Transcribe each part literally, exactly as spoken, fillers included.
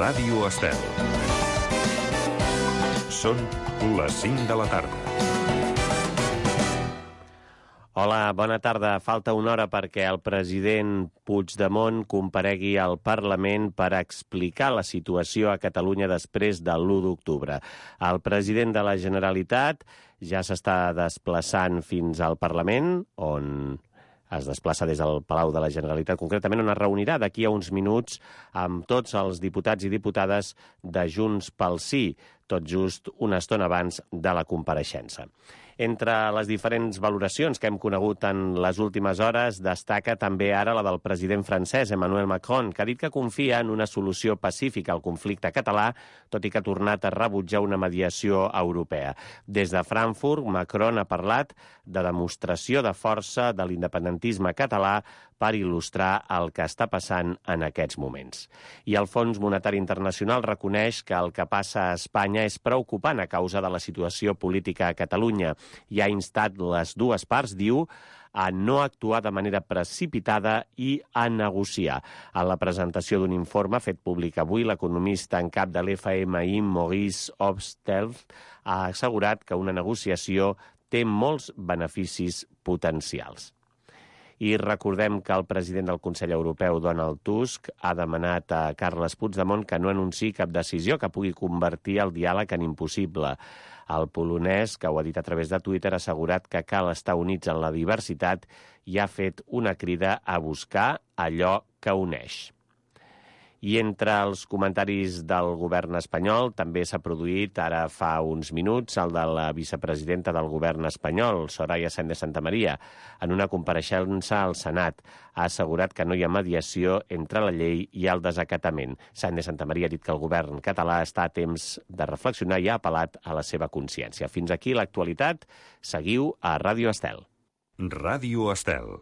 Ràdio Estel. Són les cinc de la tarda. Hola, bona tarda. Falta una hora perquè el president Puigdemont comparegui al Parlament per explicar la situació a Catalunya després de l'u d'octubre. El president de la Generalitat ja s'està desplaçant fins al Parlament, on es desplaça des del Palau de la Generalitat, concretament on es reunirà d'aquí a uns minuts amb tots els diputats i diputades de Junts pel Sí, tot just una estona abans de la compareixença. Entre les diferents valoracions que hem conegut en les últimes hores, destaca també ara la del president francès, Emmanuel Macron, que ha dit que confia en una solució pacífica al conflicte català, tot i que ha tornat a rebutjar una mediació europea. Des de Frankfurt, Macron ha parlat de demostració de força de l'independentisme català per il·lustrar el que està passant en aquests moments. I el Fons Monetari Internacional reconeix que el que passa a Espanya és preocupant a causa de la situació política a Catalunya i ha instat les dues parts, diu, a no actuar de manera precipitada i a negociar. En la presentació d'un informe fet públic avui, l'economista en cap de l'F M I, Maurice Obstelz, ha assegurat que una negociació té molts beneficis potencials. I recordem que el president del Consell Europeu, Donald Tusk, ha demanat a Carles Puigdemont que no anunciï cap decisió que pugui convertir el diàleg en impossible. El polonès, que ho ha dit a través de Twitter, ha assegurat que cal estar units en la diversitat i ha fet una crida a buscar allò que uneix. I entre els comentaris del govern espanyol també s'ha produït ara fa uns minuts el de la vicepresidenta del govern espanyol, Soraya Sáenz de Santamaría, en una compareixença al Senat. Ha assegurat que no hi ha mediació entre la llei i el desacatament. Sáenz de Santamaría ha dit que el govern català està a temps de reflexionar i ha apel·lat a la seva consciència. Fins aquí l'actualitat. Seguiu a Ràdio Estel. Ràdio Estel.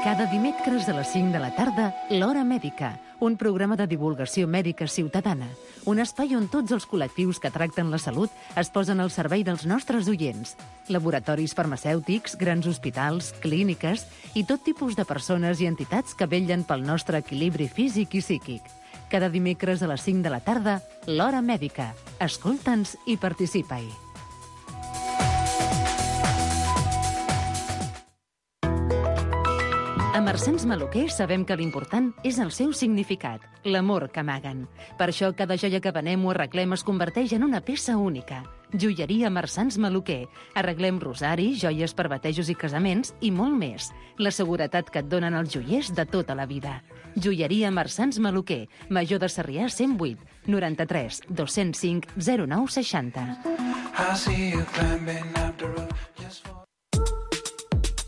Cada dimecres a les cinc de la tarda, l'Hora Mèdica, un programa de divulgació mèdica ciutadana, un espai on tots els col·lectius que tracten la salut es posen al servei dels nostres oients. Laboratoris farmacèutics, grans hospitals, clíniques i tot tipus de persones i entitats que vetllen pel nostre equilibri físic i psíquic. Cada dimecres a les cinc de la tarda, l'Hora Mèdica. Escolta'ns i participa-hi. A Marsans Maluquer sabem que l'important és el seu significat, l'amor que amaguen. Per això cada joia que venem o arreglem es converteix en una peça única. Joieria Marsans Maluquer. Arreglem rosari, joies per batejos i casaments i molt més. La seguretat que et donen els joiers de tota la vida. Joieria Marsans Maluquer. Major de Sarrià cent vuit, noranta-tres, dos-cents cinc, zero nou seixanta.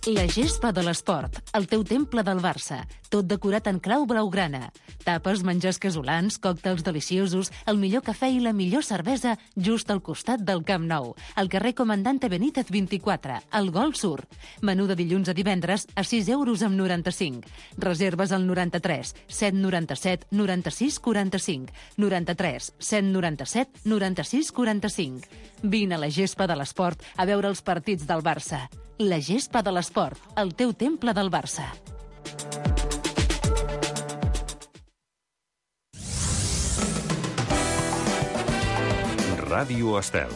La gespa de l'esport, el teu temple del Barça, tot decorat en clau blaugrana. Tapes, menjars casolans, còctels deliciosos, el millor cafè i la millor cervesa just al costat del Camp Nou, al carrer Comandante Benítez vint-i-quatre, al Gol Sur. Menú de dilluns a divendres a sis euros amb noranta-cinc. Reserves al noranta-tres, set noranta-set, noranta-sis, quaranta-cinc, noranta-tres, set noranta-set, noranta-sis, quaranta-cinc. Vine a la gespa de l'esport a veure els partits del Barça. La gespa de l'esport, el teu temple del Barça. Ràdio Estel.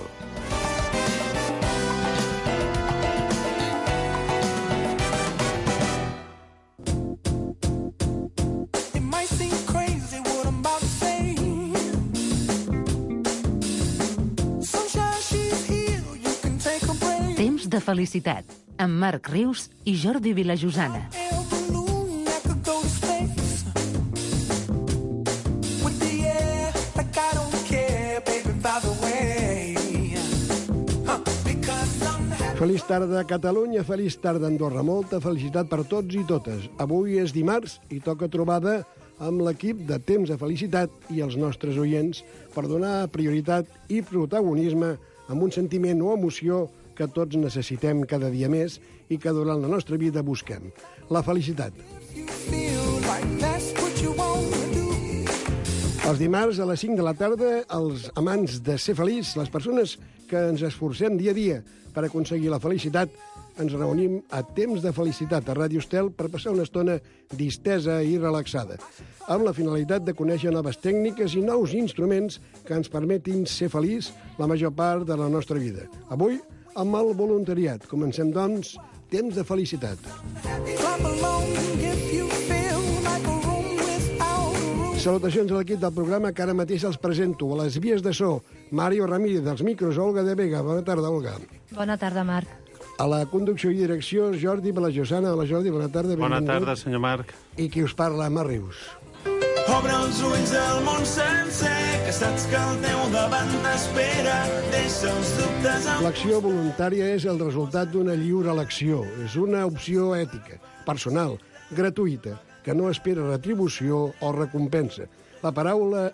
Temps de felicitat, amb Marc Rius i Jordi Vilajosana. Feliç tarda, Catalunya, feliç tarda, Andorra. Molta felicitat per tots i totes. Avui és dimarts i toca trobada amb l'equip de Temps de Felicitat i els nostres oients per donar prioritat i protagonisme amb un sentiment o emoció que tots necessitem cada dia més i que durant la nostra vida busquem. La felicitat. Els dimarts a les cinc de la tarda, els amants de ser feliç, les persones que ens esforcem dia a dia per aconseguir la felicitat, ens reunim a Temps de Felicitat a Ràdio Estel per passar una estona distesa i relaxada, amb la finalitat de conèixer noves tècniques i nous instruments que ens permetin ser feliç la major part de la nostra vida. Avui, amb el voluntariat. Comencem, doncs, Temps de Felicitat. Salutacions a l'equip del programa que ara mateix els presento. A les vies de so, Mario Ramírez, dels micros, Olga de Vega. Bona tarda, Olga. Bona tarda, Marc. A la conducció i direcció, Jordi Balajosana. Hola, Jordi, bona tarda. Bona benvingut. tarda, senyor Marc. I qui us parla, Marc Rius. Obre els ulls del món sencer, que saps que el teu davant t'espera. Deixa els dubtes... Amb... L'acció voluntària és el resultat d'una lliure elecció. És una opció ètica, personal, gratuïta, que no espera retribució o recompensa. La paraula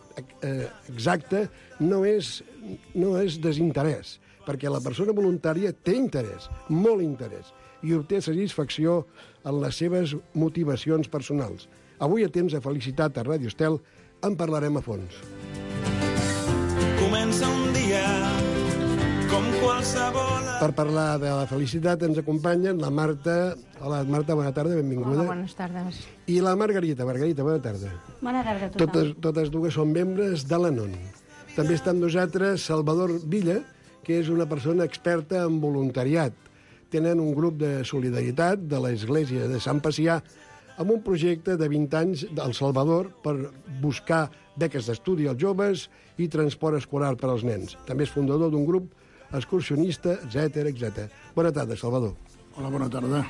eh, exacta no és, no és desinterès, perquè la persona voluntària té interès, molt interès, i obté satisfacció en les seves motivacions personals. Avui, a Temps de Felicitat a Ràdio Estel, en parlarem a fons. Comença un dia com qualsevol... Per parlar de la felicitat ens acompanyen la Marta. Hola, Marta, bona tarda, benvinguda. Hola, bones tardes. I la Margarita. Margarita, bona tarda. Bona tarda a tothom. Totes, totes dues són membres de l'Anon. També està amb nosaltres Salvador Villa, que és una persona experta en voluntariat. Tenen un grup de solidaritat de l'Església de Sant Pacià amb un projecte de vint anys del Salvador per buscar beques d'estudi als joves i transport escolar per als nens. També és fundador d'un grup excursionista, etcètera, etcètera. Bona tarda, Salvador. Hola, bona tarda.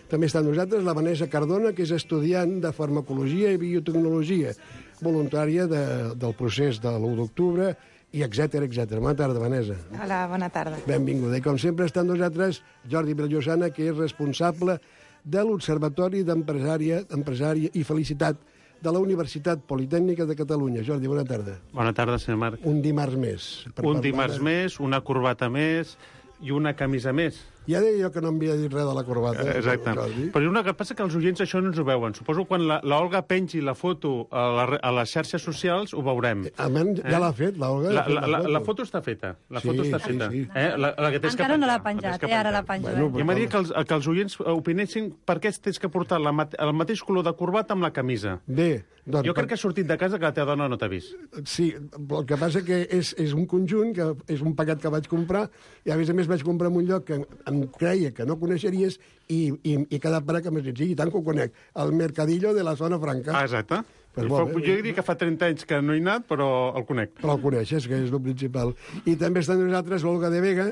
També està amb nosaltres la Vanessa Cardona, que és estudiant de farmacologia i biotecnologia, voluntària de, del procés de l'u d'octubre, i etcètera, etcètera. Bona tarda, Vanessa. Hola, bona tarda. Benvinguda. I com sempre està amb nosaltres Jordi Bellosana, que és responsable de l'Observatori d'Empresària Empresària i Felicitat de la Universitat Politècnica de Catalunya. Jordi, bona tarda. Bona tarda, senyor Marc. Un dimarts més. Un dimarts de... més, una corbata més i una camisa més. Ja deia jo que no em havia dit res de la corbata. Eh, exacte. Jordi. Però una que passa que els oients això no ens ho veuen. Suposo quan la, la Olga pengi la foto a, la, a les xarxes socials ho veurem. Almenys ja eh? l'ha fet, la Olga. La, fet la, la, foto. la foto està feta. La sí, foto està sí, feta. Sí. Eh? La, la que tens Encara que no l'ha penjar, penjat, eh? Ara la penjo. Bueno, Bueno, Jo m'ha dit que els, que els oients opinessin per què tens que portar la, el mateix color de corbata amb la camisa. Bé, doncs... Jo crec que has sortit de casa que la teva dona no t'ha vist. Sí, el que passa que és, és un conjunt, que és un paquet que vaig comprar, i a més a més vaig comprar en un lloc que em creia que no coneixeries i, i, i he quedat per que m'has dit, sí, i tant que ho conec, el Mercadillo de la Zona Franca. Ah, exacte. Pues Fa, molt bé. jo diria que fa trenta anys que no he anat, però el conec. Però el coneixes, que és el principal. I també està amb nosaltres l'Olga de Vega,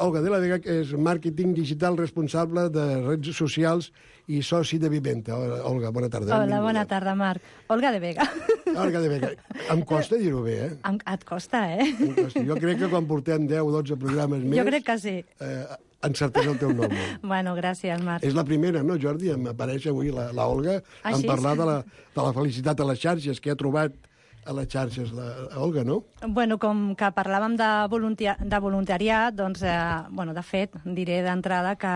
Olga de la Vega, que és màrqueting digital responsable de redes socials i soci de Viventa. Olga, bona tarda. Hola, bona tarda, Marc. Olga de Vega. Olga de Vega. Em costa dir-ho bé, eh? Em, et costa, eh? Em costa. Jo crec que quan portem deu o dotze programes més... Jo crec que sí. Eh, encertés el teu nom. Bueno, gràcies, Marc. És la primera, no, Jordi? Em apareix avui la, la Olga Ah, en sí? parlar de la, de la felicitat a les xarxes, que ha trobat a les xarxes la, la Olga, no? Bueno, com que parlàvem de, voluntia de voluntariat, doncs, eh, bueno, de fet, diré d'entrada que,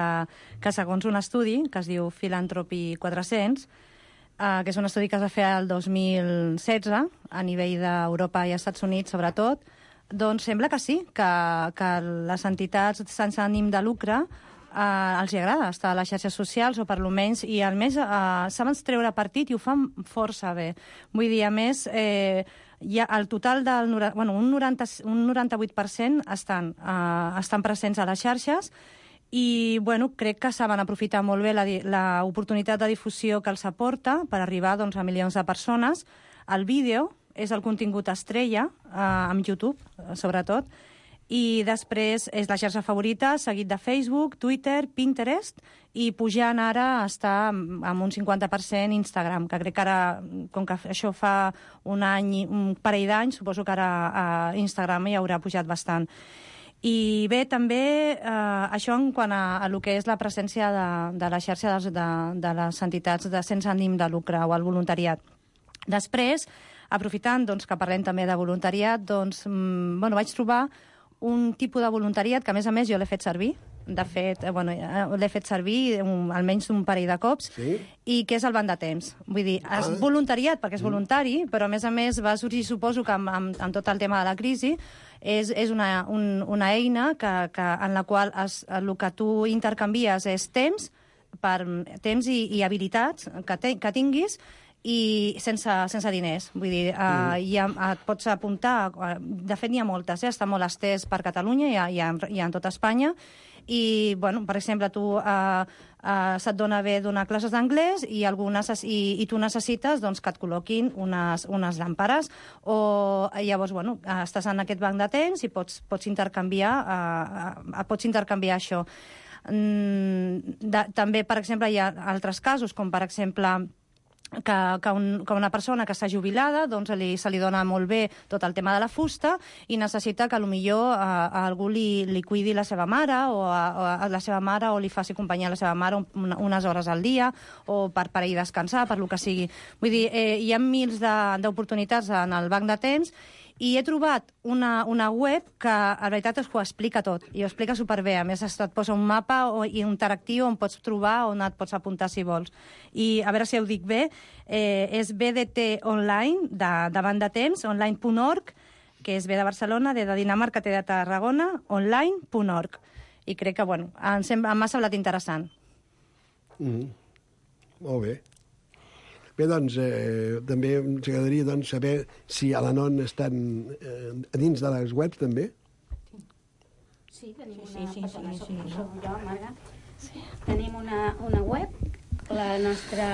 que segons un estudi que es diu Philanthropy quatre-cents, eh, que és un estudi que es va fer el dos mil setze a nivell d'Europa i Estats Units, sobretot, doncs sembla que sí, que, que les entitats sense ànim de lucre eh, els hi agrada estar a les xarxes socials, o per lo menys, i a més eh, saben treure partit i ho fan força bé. Vull dir, a més, eh, hi ha el total del... Bueno, un, noranta, un noranta-vuit per cent estan, eh, estan presents a les xarxes i, bueno, crec que saben aprofitar molt bé l'oportunitat de difusió que els aporta per arribar, doncs, a milions de persones. El vídeo és el contingut estrella, eh, amb YouTube, sobretot, i després és la xarxa favorita, seguit de Facebook, Twitter, Pinterest, i pujant ara està amb un cinquanta per cent Instagram, que crec que ara, com que això fa un any, un parell d'anys, suposo que ara a Instagram hi haurà pujat bastant. I bé, també eh, això en quant a, a lo que és la presència de, de la xarxa de, de, de les entitats de sense ànim de lucre o el voluntariat. Després, aprofitant doncs, que parlem també de voluntariat, doncs, mm, bueno, vaig trobar un tipus de voluntariat que, a més a més, jo l'he fet servir. de fet, eh, bueno, eh, l'he fet servir un, almenys un parell de cops, Sí. i que és el banc de temps. Vull dir, és Ah. voluntariat perquè és voluntari, però a més a més va sorgir, suposo que amb, amb, amb tot el tema de la crisi, és, és una, un, una eina que, que, en la qual es, el que tu intercanvies és temps, per temps i, i habilitats que, te, que tinguis, i sense, sense diners. Vull dir, uh, mm. ja et pots apuntar... De fet, n'hi ha moltes, eh? Està molt estès per Catalunya i, i, en, i en tota Espanya. I, bueno, per exemple, tu uh, uh, se't dona bé donar classes d'anglès i, algunes, i, i tu necessites doncs, que et col·loquin unes, unes làmperes. O llavors, bueno, estàs en aquest banc de temps i pots, pots, intercanviar, uh, uh, pots intercanviar això. Mm, de, també, per exemple, hi ha altres casos, com per exemple... Que, que, un, que una persona que està jubilada doncs li, se li dona molt bé tot el tema de la fusta i necessita que potser a, a algú li, li cuidi la seva mare o a, a la seva mare o li faci companyia a la seva mare un, unes hores al dia o per, per ir a descansar, per lo que sigui. Vull dir, eh, hi ha mils d'oportunitats en el banc de temps i he trobat una, una web que, a veritat, es ho explica tot. I ho explica superbé. A més, et posa un mapa o, i interactiu on pots trobar, on et pots apuntar si vols. I, a veure si ho dic bé, eh, és B D T Online, de, de banc de temps, online punt org, que és B de Barcelona, D de Dinamarca, T de Tarragona, online punt org. I crec que, bueno, em, sembla, m'ha semblat interessant. Mm. Molt bé. Bé, doncs, eh, també ens agradaria doncs, saber si a l'Anon estan eh, a dins de les webs, també. Sí, tenim una... Sí, sí, sí, perdona, sí, sí. Soc jo, Marga. Sí. Tenim una, una web, la nostra...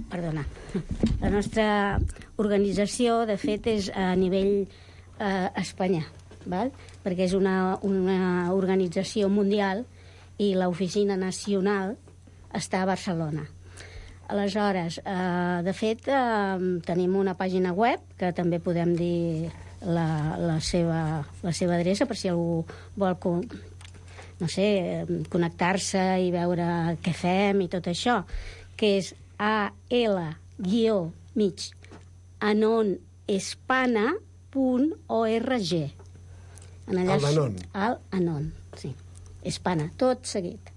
Perdona. La nostra organització, de fet, és a nivell eh, Espanya, val? Perquè és una, una organització mundial i l'oficina nacional està a Barcelona. Aleshores, eh, de fet, eh, tenim una pàgina web que també podem dir la, la, seva, la seva adreça per si algú vol, no sé, connectar-se i veure què fem i tot això, que és a l guió mig anonespana punt org. El d'Anon. El Anon, sí. Espana, tot seguit,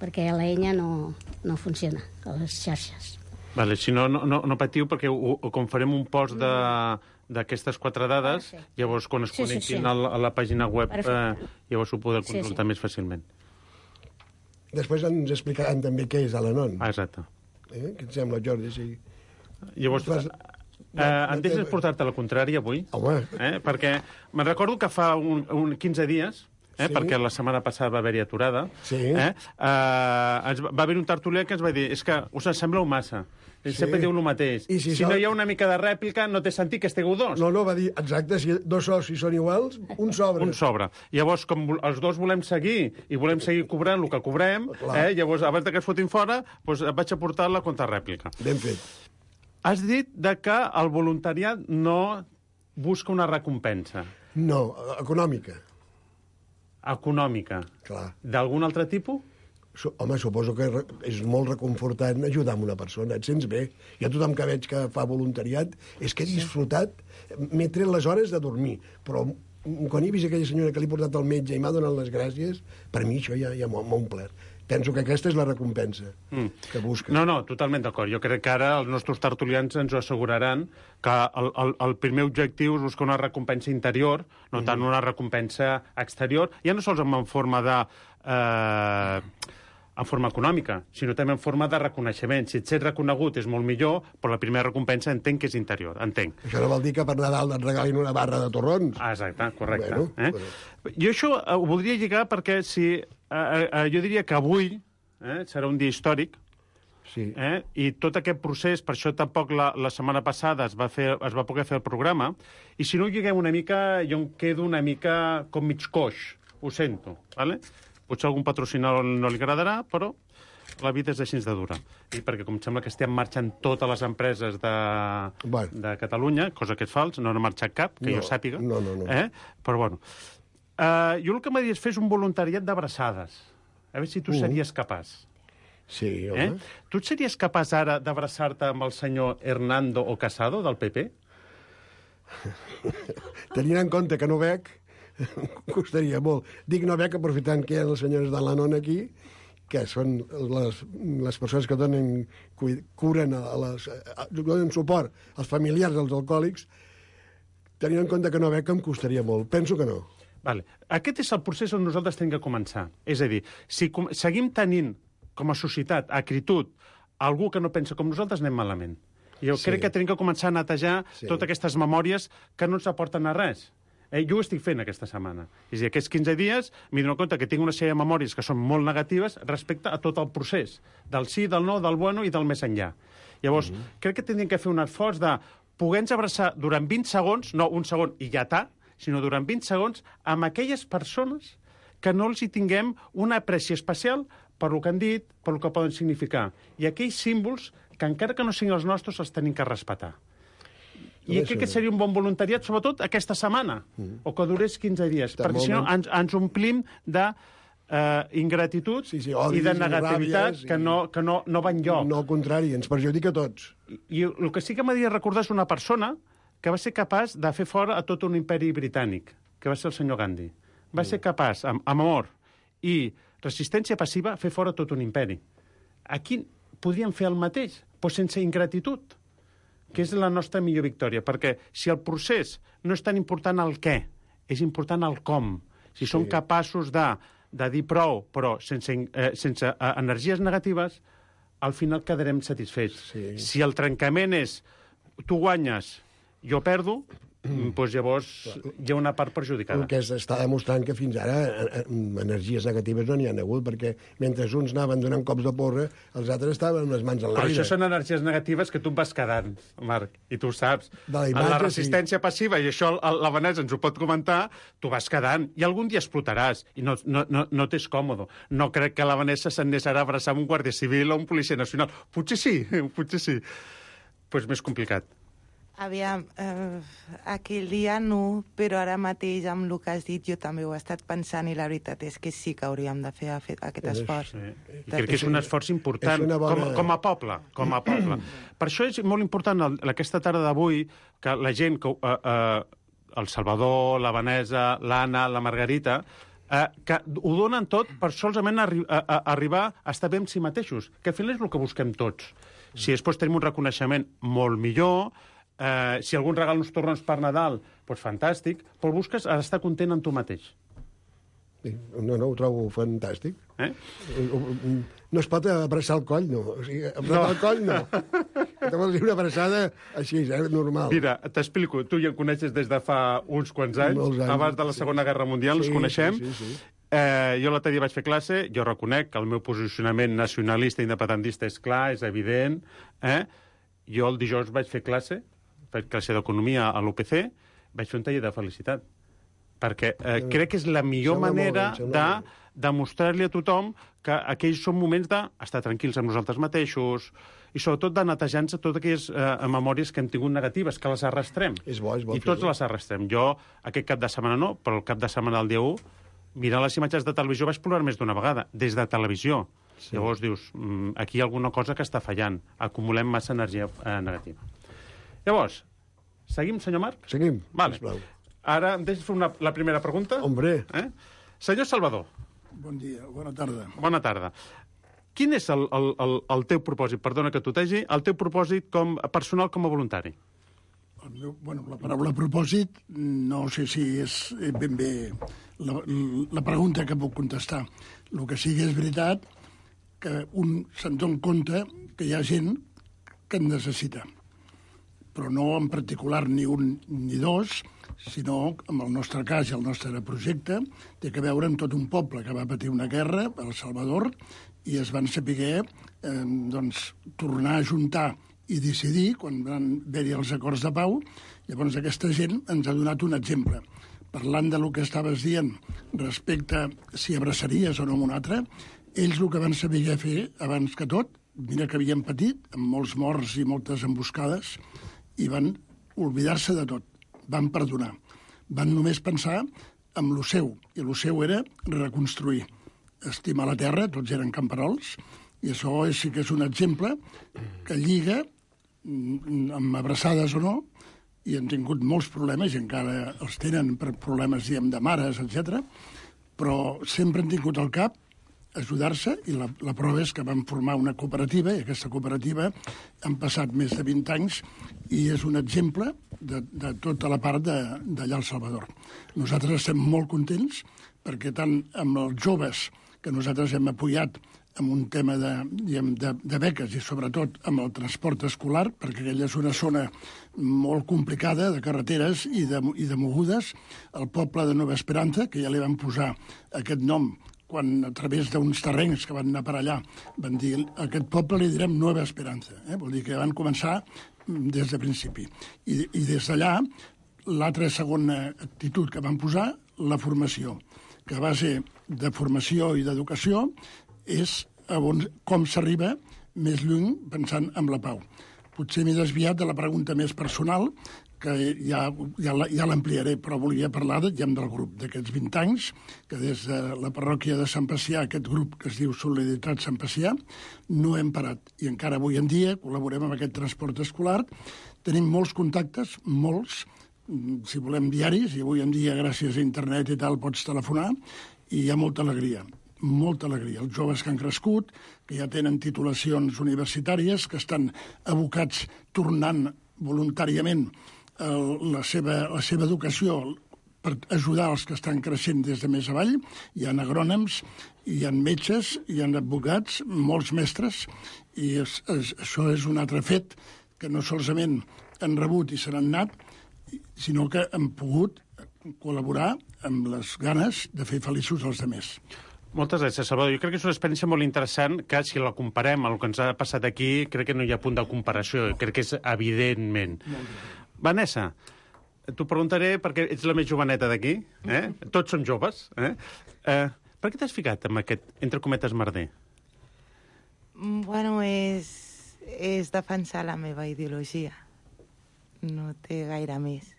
perquè la enya no, no funciona a les xarxes. Vale, si no, no, no patiu, perquè ho, ho, com farem un post d'aquestes quatre dades, perfecte. Llavors, quan es Sí, sí, connectin sí. a, la, a la pàgina web, eh, llavors ho podeu Sí, consultar sí. més fàcilment. Després ens explicaran també què és a l'Anon. Ah, exacte. Eh? Què et sembla, Jordi? Sí. Llavors, Fas- eh, em deixes portar-te la contrària avui? Home. Eh? Perquè me'n recordo que fa un, un quinze dies, eh? Sí. perquè la setmana passada va haver-hi aturada, Sí. eh? Eh, ens va, va haver un tertulià que ens va dir és que us en sembleu massa. Sí. Sempre diu el mateix. I si si sol- no hi ha una mica de rèplica, no té sentit que estigueu dos. No, no, va dir, exacte, si dos socis són iguals, un sobre. Un sobre. Llavors, com vol- els dos volem seguir i volem seguir cobrant el que cobrem, Clar. eh? llavors, abans que es fotin fora, doncs et vaig aportar la contrarèplica. Ben fet. Has dit de que el voluntariat no busca una recompensa No, econòmica, econòmica. clar. D'algun altre tipus? Su Home, suposo que re- és molt reconfortant ajudar a una persona, et sents bé. Jo tothom que veig que fa voluntariat és que he disfrutat, m'he tret les hores de dormir, però quan he vist aquella senyora que li he portat al metge i m'ha donat les gràcies, per mi això ja, ja m'ha m'ha omplert. Penso que aquesta és la recompensa Mm. que busca. No, no, totalment d'acord. Jo crec que ara els nostres tertulians ens ho asseguraran que el, el, el primer objectiu és buscar una recompensa interior, no tant una recompensa exterior, ja no sols en forma de... Eh, en forma econòmica, sinó també en forma de reconeixement. Si ets reconegut és molt millor, però la primera recompensa entenc que és interior, entenc. Això no vol dir que per Nadal et regalin una barra de torrons. Ah, exacte, correcte. Bueno, eh? bueno. Jo això eh, ho voldria lligar perquè si, eh, eh, jo diria que avui eh, serà un dia històric, Sí. eh? I tot aquest procés, per això tampoc la, la setmana passada es va, fer, es va poder fer el programa, i si no ho lliguem una mica, jo em quedo una mica com mig coix, ho sento, ¿vale? Potser algun patrocinador no li agradarà, però la vida és així de dura. I perquè com sembla que estem marxant totes les empreses de, Bueno. de Catalunya, cosa que és fals, no n'ha marxat cap, que No, jo sàpiga. no, no, no. Eh? Però bueno. Uh, jo el que m'ha dit és fer un voluntariat d'abraçades. A veure si tu Uh. series capaç. Sí, Eh? home. Tu et series capaç ara d'abraçar-te amb el senyor Hernando o Casado, del P P? Tenint en compte que no bec, costaria molt. Dic no veig, aprofitant que hi ha les senyores de l'Anon aquí, que són les, les persones que donen, curen, a les, a, donen suport als familiars dels alcohòlics, tenint en compte que no veig que em costaria molt. Penso que no. Vale. Aquest és el procés on nosaltres hem de començar. És a dir, si com, seguim tenint com a societat, acritud, algú que no pensa com nosaltres, anem malament. Jo sí. crec que tenim que començar a netejar sí. totes aquestes memòries que no ens aporten a res. Eh, jo ho estic fent aquesta setmana. És a dir, aquests quinze dies m'he donat compte que tinc una sèrie de memòries que són molt negatives respecte a tot el procés, del sí, del no, del bueno i del més enllà. Llavors, mm-hmm. crec que tindríem que fer un esforç de poder-nos abraçar durant vint segons, no un segon i ja està, sinó durant vint segons, amb aquelles persones que no els hi tinguem una apreci especial per lo que han dit, per lo que poden significar. I aquells símbols que, encara que no siguin els nostres, els tenim que respetar. I crec que seria un bon voluntariat, sobretot aquesta setmana, mm. o que durés quinze dies, Està perquè si no ens, ens omplim de uh, ingratitud sí, sí, i de negativitat i que, no, que no, no va enlloc. No, al contrari, ens perjudica a tots. I, i el que sí que m'agradaria recordar és una persona que va ser capaç de fer fora a tot un imperi britànic, que va ser el senyor Gandhi. Va mm. ser capaç, amb, amb amor i resistència passiva, fer fora tot un imperi. Aquí podríem fer el mateix, però sense ingratitud, que és la nostra millor victòria, perquè si el procés no és tan important el què, és important el com. Si sí. som capaços de, de dir prou, però sense, eh, sense eh, energies negatives, al final quedarem satisfets. Sí. Si el trencament és tu guanyes, jo perdo, mm. doncs llavors hi ha una part perjudicada. El que està demostrant que fins ara energies negatives no n'hi ha hagut, perquè mentre uns anaven donant cops de porra, els altres estaven amb les mans en l'aire. Però això són energies negatives que tu vas quedant, Marc, i tu ho saps. La, imatge, la resistència sí. passiva, i això la Vanessa ens ho pot comentar, tu vas quedant, i algun dia explotaràs, i no, no, no, no t'és còmode. No crec que la Vanessa s'anés ara a abraçar amb un guàrdia civil o un policia nacional. Potser sí, potser sí. Però és més complicat. Aviam, eh, aquell dia no, però ara mateix amb el que has dit jo també ho he estat pensant i la veritat és que sí que hauríem de fer aquest esforç. Sí. I crec que és un esforç important bona... com, com a poble. Com a poble. Per això és molt important el, aquesta tarda d'avui que la gent, que, eh, eh, el Salvador, la Vanessa, l'Anna, la Margarita, eh, que ho donen tot per solament arri a, a, arribar a estar bé amb si mateixos, que al final és el que busquem tots. Si després tenim un reconeixement molt millor, Uh, si algun regal uns torrons per Nadal, doncs fantàstic, però busques estar content amb tu mateix. No, no, ho trobo fantàstic. Eh? No es pot abraçar el coll, no. O sigui, abraçar no. el coll, no. Te vols dir una abraçada així, eh, normal. Mira, t'explico. Tu ja em coneixes des de fa uns quants anys. anys abans de la Segona sí. Guerra Mundial, sí, ens coneixem. Sí, sí, sí. Eh, jo l'altre dia vaig fer classe, jo reconec que el meu posicionament nacionalista i independentista és clar, és evident. Eh? Jo el dijous vaig fer classe, faig classe d'economia a l'U P C, vaig fer un taller de felicitat. Perquè eh, crec que és la millor manera de demostrar-li a tothom que aquells són moments d'estar tranquils amb nosaltres mateixos i sobretot de netejar-nos totes aquelles eh, memòries que hem tingut negatives, que les arrastrem. És bo, és bo. I tots les arrastrem. Jo aquest cap de setmana no, però el cap de setmana del dia u, mirant les imatges de televisió vaig plorar més d'una vegada, des de televisió. Sí. Llavors dius, aquí hi ha alguna cosa que està fallant. Acumulem massa energia eh, negativa. Llavors, seguim, senyor Marc? Seguim, vale. Sisplau. Ara em deixes fer una, la primera pregunta? Hombre. Eh? Senyor Salvador. Bon dia, bona tarda. Bona tarda. Quin és el, el, el, el teu propòsit, perdona que tutegi, el teu propòsit com personal com a voluntari? El meu, bueno, la paraula propòsit no sé si és ben bé la, la pregunta que puc contestar. El que sí que és veritat que un se'n dona compte que hi ha gent que en necessita, però no en particular ni un ni dos, sinó, en el nostre cas i el nostre projecte, té que veure amb tot un poble que va patir una guerra, El Salvador, i es van saber eh, doncs, tornar a juntar i decidir, quan van haver-hi els acords de pau. Llavors aquesta gent ens ha donat un exemple. Parlant de lo que estaves dient respecte a si abraçaries o no amb un altre, ells el que van saber fer abans que tot, mira que havien patit, amb molts morts i moltes emboscades, i van oblidar-se de tot, van perdonar. Van només pensar en lo seu, i lo seu era reconstruir. Estimar la terra, tots eren camperols, i això és, sí que és un exemple que lliga, amb abraçades o no, i han tingut molts problemes, i encara els tenen per problemes, diguem, de mares, etcètera, però sempre han tingut al cap ajudar-se, i la, la prova és que van formar una cooperativa, i aquesta cooperativa han passat més de vint anys i és un exemple de, de tota la part d'allà al Salvador. Nosaltres estem molt contents perquè tant amb els joves que nosaltres hem apoyat amb un tema de, diguem, de, de beques i sobretot amb el transport escolar, perquè aquella és una zona molt complicada de carreteres i de, i de mogudes, el poble de Nova Esperança, que ja li van posar aquest nom quan a través d'uns terrenys que van anar per allà van dir a aquest poble li direm Nova Esperança, eh? Vol dir que van començar des de principi. I, i des d'allà, l'altra segona actitud que van posar, la formació, que a base de formació i d'educació és on, com s'arriba més lluny pensant en la pau. Potser m'he desviat de la pregunta més personal, que ja, ja, ja l'ampliaré, però volia parlar de, ja, del grup, d'aquests vint anys, que des de la parròquia de Sant Pacià, aquest grup que es diu Solidaritat Sant Pacià, no hem parat. I encara avui en dia col·laborem amb aquest transport escolar. Tenim molts contactes, molts, si volem diaris, i avui en dia, gràcies a internet i tal, pots telefonar, i hi ha molta alegria. Molta alegria. Els joves que han crescut, que ja tenen titulacions universitàries, que estan abocats tornant voluntàriament la seva, la seva educació per ajudar els que estan creixent des de més avall. Hi ha agrònoms, hi ha metges, hi ha advocats, molts mestres, i és, és, això és un altre fet que no solament han rebut i se n'han anat, sinó que han pogut col·laborar amb les ganes de fer feliços els altres. Moltes gràcies, Salvador. Jo crec que és una experiència molt interessant que, si la comparem amb el que ens ha passat aquí, crec que no hi ha punt de comparació. Crec que és evidentment. Vanessa, t'ho preguntaré perquè ets la més joveneta d'aquí. Eh? Tots som joves. Eh? Eh, per què t'has ficat amb aquest, entre cometes, merder? Bueno, és, és defensar la meva ideologia. No té gaire més.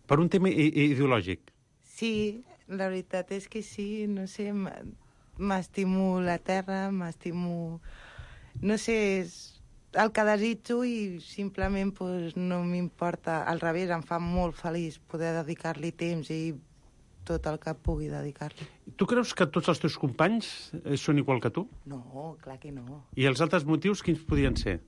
Per un tema ideològic? Sí, la veritat és que sí, no sé, m'estimo la terra, m'estimo... No sé, és el que desitjo i simplement pues, no m'importa. Al revés, em fa molt feliç poder dedicar-li temps i tot el que pugui dedicar-li. Tu creus que tots els teus companys són igual que tu? No, clar que no. I els altres motius quins podrien ser?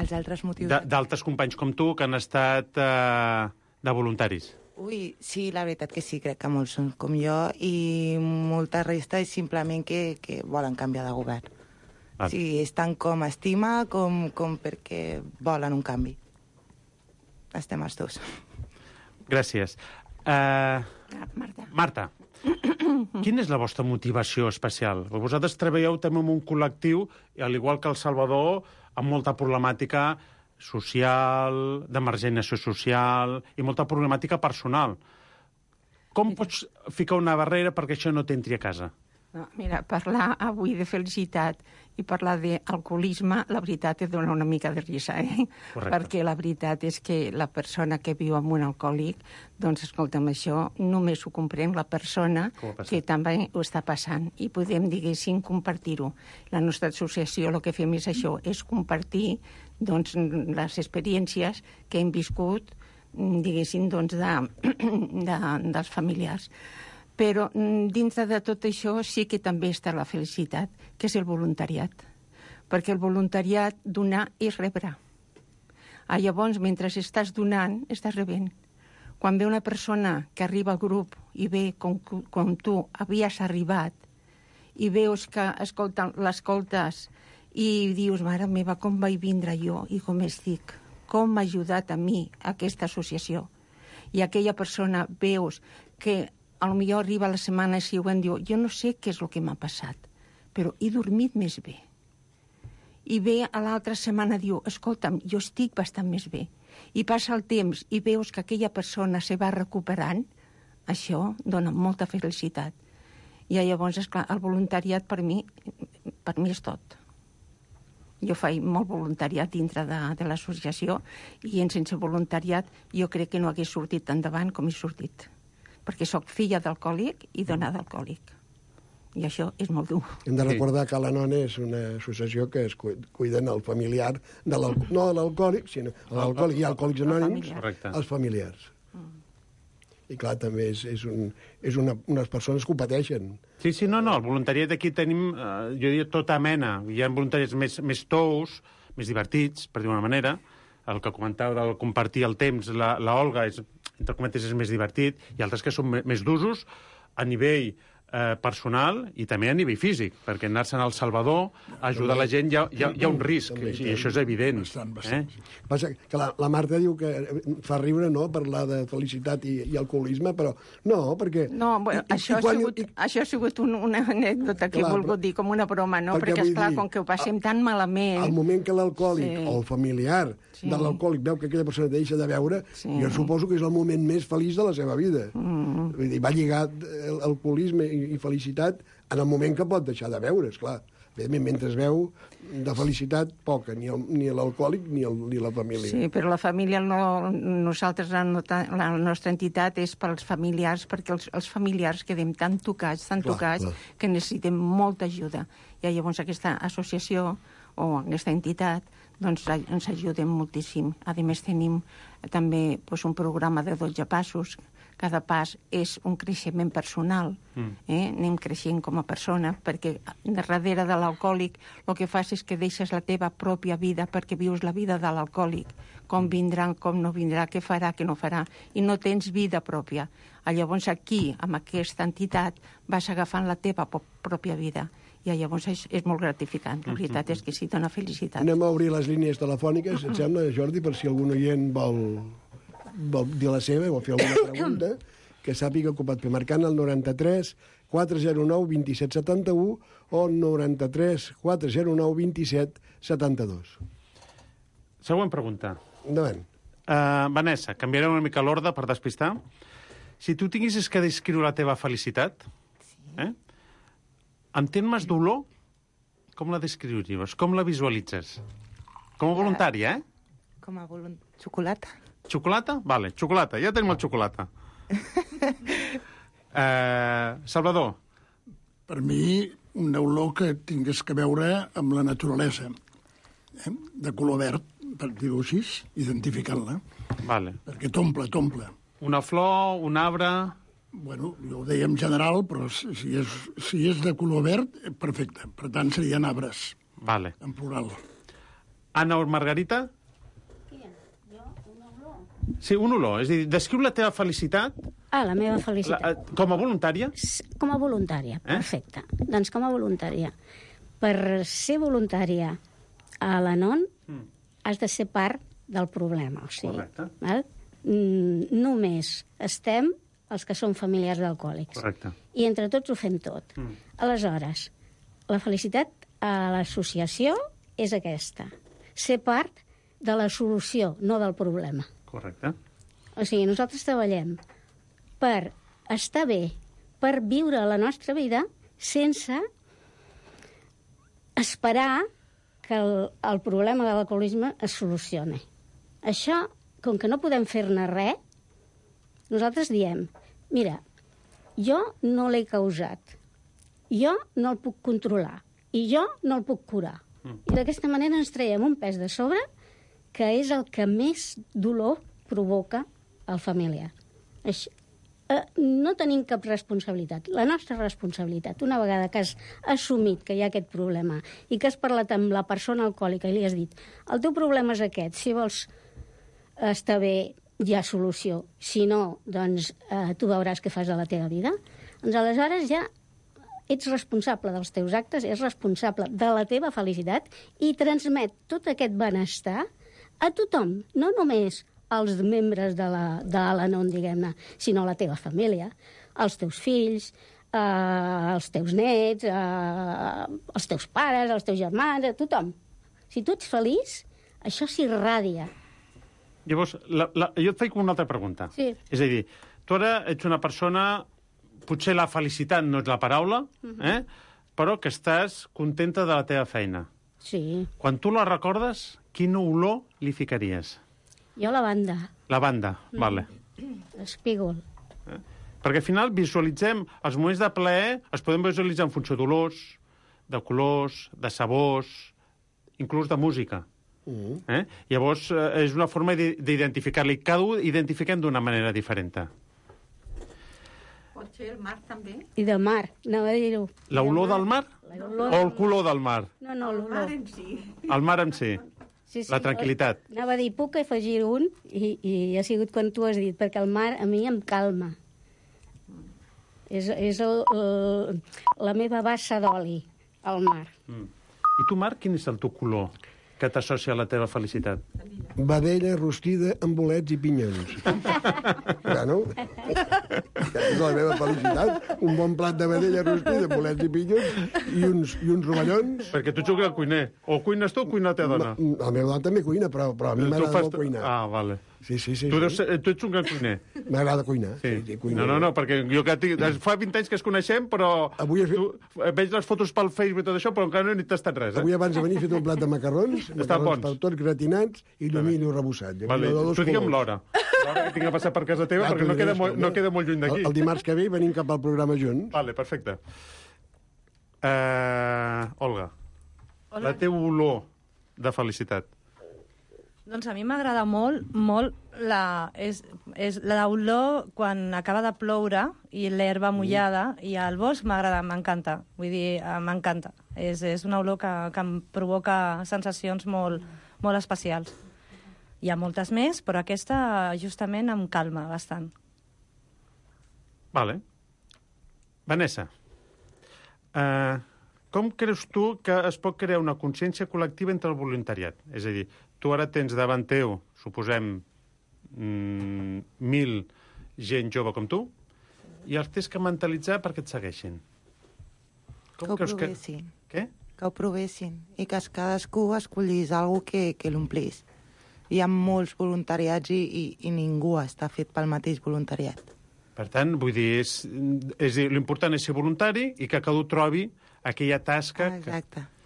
Els altres motius... D'altres companys com tu que han estat eh, de voluntaris? Ui, sí, la veritat que sí, crec que molts són com jo i molta resta és simplement que, que volen canviar de govern. Ah. Sí, és tant com estima com, com perquè volen un canvi. Estem els dos. Gràcies. Uh, Marta. Marta, quina és la vostra motivació especial? Vosaltres treballeu també en un col·lectiu, al igual que El Salvador, amb molta problemàtica social, d'emergència social i molta problemàtica personal. Com pots ficar una barrera perquè això no t'entri a casa? No, mira, parlar avui de felicitat i parlar d'alcoholisme, la veritat et dona una mica de risa, eh? Correcte. Perquè la veritat és que la persona que viu amb un alcohòlic, doncs, escolta'm, això només ho comprèn la persona que també ho està passant. I podem, diguéssim, compartir-ho. La nostra associació el que fem és això, és compartir doncs, les experiències que hem viscut, diguéssim, doncs, de, de, dels familiars. Però dintre de tot això sí que també està la felicitat, que és el voluntariat. Perquè el voluntariat donar és rebre. Ah, llavors, mentre estàs donant, estàs rebent. Quan ve una persona que arriba al grup i ve com, com tu havies arribat i veus que l'escoltes i dius, mare meva, com vaig vindre jo i com estic, com m'ha ajudat a mi aquesta associació. I aquella persona veus que a lo millor arriba la setmana següent i diu, jo no sé què és el que m'ha passat, però he dormit més bé. I ve a l'altra setmana i diu, escolta'm, jo estic bastant més bé. I passa el temps i veus que aquella persona se va recuperant, això dona molta felicitat. I llavors, esclar, el voluntariat per mi, per mi és tot. Jo faig molt voluntariat dintre de, de l'associació i en sense voluntariat jo crec que no hagués sortit endavant com he sortit. Perquè sóc filla d'alcohòlic i dona d'alcohòlic. I això és molt dur. Hem de recordar que l'Anon és una associació que es cuiden el familiar, de no de l'alcohòlic, sinó l'alcohòlic i alcohòlics anònims, els familiars. I clar, també és, és, un, és una, unes persones que ho pateixen. Sí, sí, no, no, el voluntariat aquí tenim, eh, jo diria, tota mena. Hi ha voluntariats més, més tous, més divertits, per dir-ho d'una manera. El que comentava del compartir el temps, la, la Olga, és, entre cometes, és més divertit, i altres que són més d'usos a nivell eh, personal i també a nivell físic, perquè anar-se'n al Salvador, ajudar la gent, hi ha, hi ha, hi ha un risc, també, i això és evident. Bastant, bastant. Eh? Passa que la, la Marta diu que fa riure, no?, parlar de felicitat i, i alcoholisme, però no, perquè... No, bueno, i, això, i quan, ha sigut, i... això ha sigut un, una anècdota que clar, he volgut dir com una broma, no? Perquè, perquè esclar, dir, com que ho passem a, tan malament... Al moment que l'alcohòlic sí. o el familiar sí. de l'alcohòlic veu que aquella persona deixa de beure, sí. jo suposo que és el moment més feliç de la seva vida. Mm. Vull dir, va lligat l'alcoholisme i, i felicitat en el moment que pot deixar de beure, esclar. Evidentment, mentre es veu, de felicitat, poca, ni, el, ni l'alcohòlic ni, el, ni la família. Sí, però la família, no, nosaltres, la, la nostra entitat és pels familiars, perquè els, els familiars quedem tan tocats, tan clar, tocats, clar. que necessitem molta ajuda. I llavors aquesta associació o aquesta entitat doncs, ens ajuden moltíssim. A més, tenim també doncs, un programa de dotze passos. Cada pas és un creixement personal. Mm. Eh? Anem creixent com a persona, perquè darrere de l'alcohòlic el que fas és que deixes la teva pròpia vida perquè vius la vida de l'alcohòlic. Com vindrà, com no vindrà, què farà, què no farà. I no tens vida pròpia. Llavors aquí, amb aquesta entitat, vas agafant la teva pròpia vida. I llavors és, és molt gratificant. La veritat és que sí, dona felicitat. Anem a obrir les línies telefòniques, et sembla, Jordi, per si algun oient vol... vol dir la seva o fer alguna pregunta, que sàpiga que ho pot fer marcant el noranta-tres quatre zero nou vint set setanta-u o noranta-tres quatre zero nou vint set setanta-dos. Següent pregunta. Endavant. Uh, Vanessa, canviarem una mica l'ordre per despistar. Si tu tinguessis que descriure la teva felicitat, sí. eh? en termes d'olor, com la descriuries? Com la visualitzes? Com a voluntària, eh? Com a voluntària. Xocolata. Xocolata? Vale, xocolata. Ja tenim el xocolata. eh, Salvador. Per mi, una olor que tingués que veure amb la naturalesa. Eh? De color verd, per dir-ho així, identificant-la. Vale. Perquè t'omple, t'omple. Una flor, un arbre... Bueno, jo ho deia en general, però si és, si és de color verd, perfecte. Per tant, serien arbres. Vale. En plural. Anna o Margarita? Sí, un olor. És a dir, descriu la teva felicitat... Ah, la meva felicitat. La, com a voluntària? Com a voluntària, eh? Perfecte. Doncs com a voluntària. Per ser voluntària a l'Anon mm. has de ser part del problema. O sigui, correcte. Val? Mm, només estem els que som familiars d'alcohòlics. Correcte. I entre tots ho fem tot. Mm. Aleshores, la felicitat a l'associació és aquesta. Ser part de la solució, no del problema. Correcte. O sigui, nosaltres treballem per estar bé, per viure la nostra vida sense esperar que el, el problema de l'alcoholisme es solucioni. Això, com que no podem fer-ne res, nosaltres diem, mira, jo no l'he causat, jo no el puc controlar i jo no el puc curar. Mm. I d'aquesta manera ens traiem un pes de sobre que és el que més dolor provoca al familiar. Això, eh, no tenim cap responsabilitat. La nostra responsabilitat, una vegada que has assumit que hi ha aquest problema i que has parlat amb la persona alcohòlica i li has dit el teu problema és aquest, si vols estar bé hi ha solució, si no, doncs eh, tu veuràs què fas de la teva vida, doncs aleshores ja ets responsable dels teus actes, ets responsable de la teva felicitat i transmet tot aquest benestar a tothom, no només als membres de la, de l'Anon, diguem-ne, sinó a la teva família, als teus fills, eh, als teus nets, eh, als teus pares, als teus germans, a tothom. Si tu ets feliç, això s'irradia. Llavors, la, la, jo et faig una altra pregunta. Sí. És a dir, tu ara ets una persona, potser la felicitat no és la paraula, uh-huh. eh? però que estàs contenta de la teva feina. Sí. Quan tu la recordes, quina olor li ficaries? Jo la banda. La banda, mm. vale. L'espígol. Eh? Perquè al final visualitzem els moments de plaer, els podem visualitzar en funció d'olors, de colors, de sabors, inclús de música. Uh-huh. Eh? Llavors, eh, és una forma d'identificar-li. Cada un identifiquem d'una manera diferent. Pot ser el mar, també? I de mar, anava a dir-ho. L'olor del mar? O el color del mar? No, no, el mar en si. El mar en si. Sí, sí, la tranquil·litat. Anava a dir, puc afegir un, i, i ha sigut quan tu has dit, perquè el mar a mi em calma. És, és el, el, la meva bassa d'oli, el mar. Mm. I tu, Marc, quin és el teu color que t'associa a la teva felicitat? Vedella rostida amb bolets i pinyons. Bueno, aquesta és la meva felicitat. Un bon plat de vedella rostida, bolets i pinyons i uns, i uns rovellons. Perquè tu jugues al cuiner. O cuines tu o cuina la teva dona? La meva dona també cuina, però, però a mi m'agrada fas... molt cuinar. Ah, vale. Sí, sí, sí. Tu, sí. deus ser, tu ets un gran cuiner. M'agrada cuinar. Sí. Sí, sí, cuiner. No, no, no, perquè jo que tinc... fa vint anys que es coneixem, però Avui has... tu veig les fotos pel Facebook i tot això, però encara no he tastat res. Eh? Avui abans de venir he fet un plat de macarrons, Estan macarrons bons. per tots gratinats i llumillo rebossat. Vale. Tu digue'm l'hora. L'hora que tinc a passar per casa teva, Ja, perquè no queda, molt, no queda molt lluny d'aquí. El, el dimarts que ve venim cap al programa junts. Vale, perfecte. Uh, Olga, Hola. La teva olor de felicitat. Doncs a mi m'agrada molt, molt la, és, és l'olor quan acaba de ploure i l'herba mullada i el bosc m'agrada, m'encanta. Vull dir, m'encanta. És, és una olor que, que em provoca sensacions molt, molt especials. Hi ha moltes més, però aquesta justament em calma bastant. Vale. Vanessa, uh, com creus tu que es pot crear una consciència col·lectiva entre el voluntariat? És a dir, tu ara tens davant teu, suposem, mm, mil gent jove com tu, i els tens que mentalitzar perquè et segueixin. Com que ho provessin. Que... Què? Que ho provessin. I que cadascú escollís alguna que, que l'omplís. Hi ha molts voluntariats i, i, i ningú està fet pel mateix voluntariat. Per tant, vull dir, és, és, l'important és ser voluntari i que cadascú trobi aquella tasca... Ah, exacte. Que...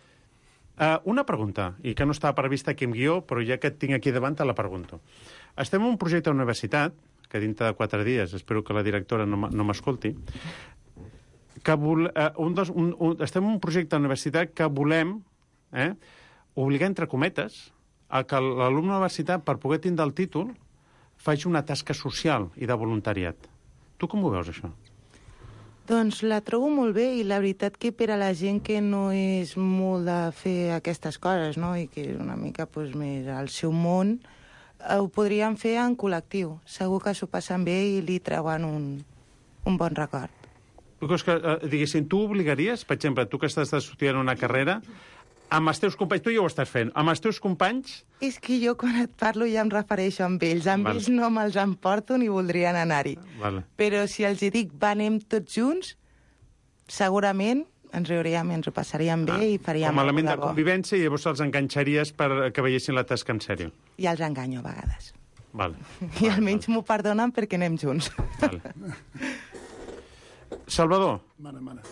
Uh, una pregunta, i que no estava prevista aquí en guió, però ja que et tinc aquí davant te la pregunto. Estem en un projecte a la universitat, que dintre de quatre dies, espero que la directora no m'escolti, que vol, uh, un dels, un, un, estem en un projecte a la universitat que volem eh, obligar, entre cometes, a que l'alumne de la universitat, per poder tindre el títol, faci una tasca social i de voluntariat. Tu com ho veus, això? Doncs la trobo molt bé i la veritat que per a la gent que no és molt de fer aquestes coses, no?, i que és una mica pues, més al seu món, eh, ho podrien fer en col·lectiu. Segur que s'ho passen bé i li treuen un, un bon record. Tu creus que, eh, diguéssim, tu obligaries, per exemple, tu que estàs estudiant una carrera, amb els teus companys, tu ja ho estàs fent, amb els teus companys... És que jo quan et parlo ja em refereixo amb ells. Amb vale. Ells no me'ls emporto ni voldrien anar-hi. Vale. Però si els hi dic, va, anem tots junts, segurament ens riuríem, ens ho passaríem bé ah, i faríem... Com a element de convivència i llavors els enganxaries per que veiessin la tasca en sèrio. I els enganyo a vegades. Vale. I vale, almenys vale. M'ho perdonen perquè anem junts. Vale. Salvador. Mana, mana.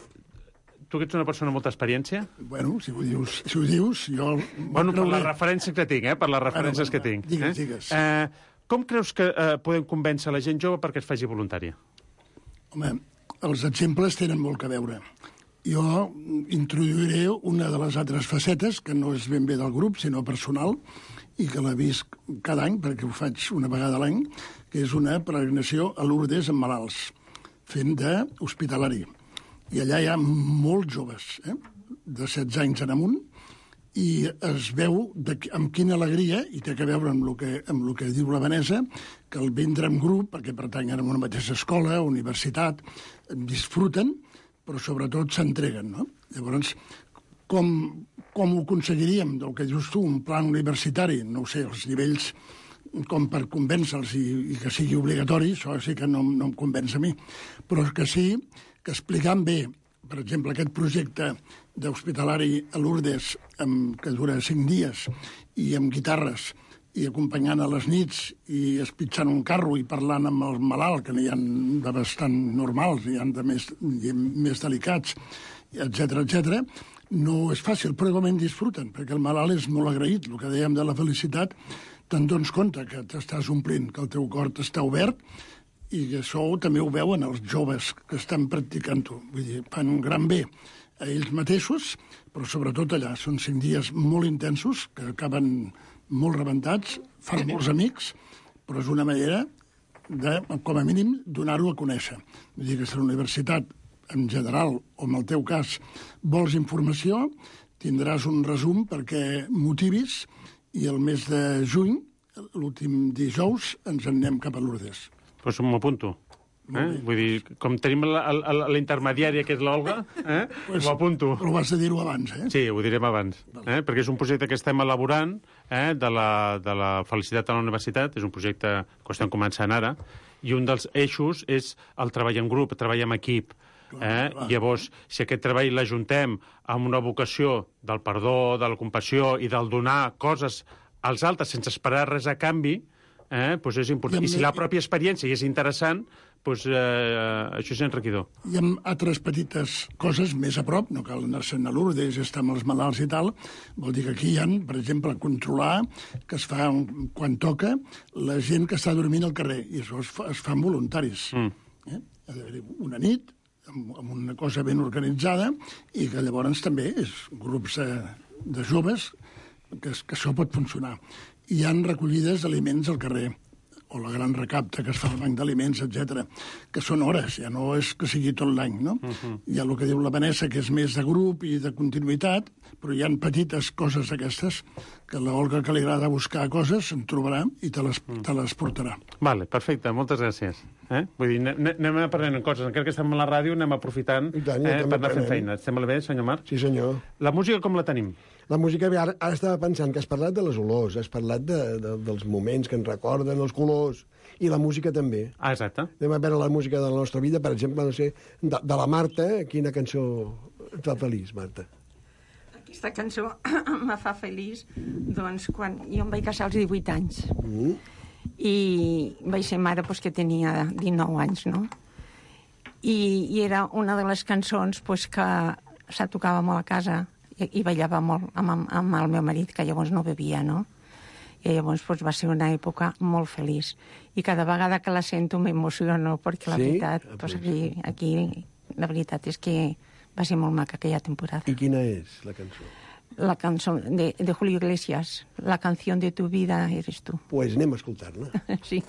Tu que ets una persona amb molta experiència? Bueno, si ho dius, si ho dius jo... Bueno, per les referències que tinc, eh? Per les referències bueno, bueno, que tinc. Digues, eh? digues. Eh, com creus que eh, podem convèncer la gent jove perquè es faci voluntària? Home, els exemples tenen molt que veure. Jo introduiré una de les altres facetes, que no és ben bé del grup, sinó personal, i que la visc cada any, perquè ho faig una vegada a l'any, que és una peregrinació a Lourdes amb malalts, fent d'hospitalari. I allà hi ha molts joves, eh? de setze anys en amunt, i es veu de, amb quina alegria, i té a veure amb el que, amb el que diu la Vanessa, que el vindre en grup, perquè pertanyen a una mateixa escola, universitat, disfruten, però sobretot s'entreguen, no? Llavors, com, com ho aconseguiríem, del que dius tu, un plan universitari, no ho sé, els nivells com per convèncer-los i, i que sigui obligatori, això sí que no, no em convenç a mi, però que sí que explicant bé, per exemple, aquest projecte d'hospitalari a Lourdes, amb, que dura cinc dies, i amb guitarres, i acompanyant a les nits, i espitxant un carro i parlant amb el malalt, que n'hi ha de bastant normals, n'hi ha de més, més delicats, etcètera, etcètera, no és fàcil, però igualment disfruten, perquè el malalt és molt agraït. El que dèiem de la felicitat, te'n dones compte que t'estàs omplint, que el teu cor està obert, i això també ho veuen els joves que estan practicant-ho. Vull dir, fan un gran bé a ells mateixos, però sobretot allà. Són cinc dies molt intensos, que acaben molt rebentats, fan molts amics, però és una manera de, com a mínim, donar-ho a conèixer. Vull dir que si la universitat, en general, o en el teu cas, vols informació, tindràs un resum perquè motivis, i el mes de juny, l'últim dijous, ens en anem cap a Lourdes. Doncs m'ho apunto. Eh? Vull dir, com tenim la, la, la intermediària, que és l'Olga, eh? Pues, ho apunto. Però vas a dir-ho abans, eh? Sí, ho direm abans. Eh? Perquè és un projecte que estem elaborant, eh? de, la, de la felicitat a la universitat, és un projecte que estem començant ara, i un dels eixos és el treball en grup, el treball en equip. Eh? Llavors, si aquest treball l'ajuntem amb una vocació del perdó, de la compassió i del donar coses als altres sense esperar res a canvi, eh? Pues és important. I, I si la pròpia experiència és interessant, pues, eh, això és enriquidor. Hi ha altres petites coses més a prop, no cal anar-se'n a Lourdes, estar amb els malalts i tal. Vol dir que aquí hi ha, per exemple, controlar que es fa, quan toca, la gent que està dormint al carrer, i això es, fa, es fan voluntaris. Mm. Eh? Ha d'haver una nit, amb, amb una cosa ben organitzada, i que llavors també és grups de, de joves que, que això pot funcionar. Hi han recollides d'aliments al carrer, o la gran recapta que es fa al banc d'aliments, etcètera, que són hores, ja no és que sigui tot l'any, no? Uh-huh. Hi ha el que diu la Vanessa, que és més de grup i de continuïtat, però hi ha petites coses aquestes, que l'Olga, que li agrada buscar coses, en trobarà i te les, te les portarà. Vale, perfecte, moltes gràcies. Eh? Vull dir, anem aprenent coses, encara que estem a la ràdio, anem aprofitant tant, eh, per anar fent feina. Et sembla bé, senyor Marc? Sí, senyor. La música com la tenim? La música, ara, ara estava pensant que has parlat de les olors, has parlat de, de, dels moments que ens recorden, els colors, i la música també. Ah, exacte. Anem a veure la música de la nostra vida, per exemple, no sé, de, de la Marta, quina cançó et fa feliç, Marta? Aquesta cançó me fa feliç, doncs, quan jo em vaig casar als divuit anys. Mm. I vaig ser mare doncs, que tenia dinou anys, no? I, i era una de les cançons doncs, que se tocava molt a casa i, i ballava molt amb, amb el meu marit, que llavors no bevia, no? I llavors doncs, va ser una època molt feliç. I cada vegada que la sento m'emociono, perquè la sí? veritat, doncs, aquí, aquí la veritat és que va ser molt maca aquella temporada. I quina és la cançó? La cançó de, de Julio Iglesias, La canción de tu vida eres tú. Pues anem a escoltar-la. Sí.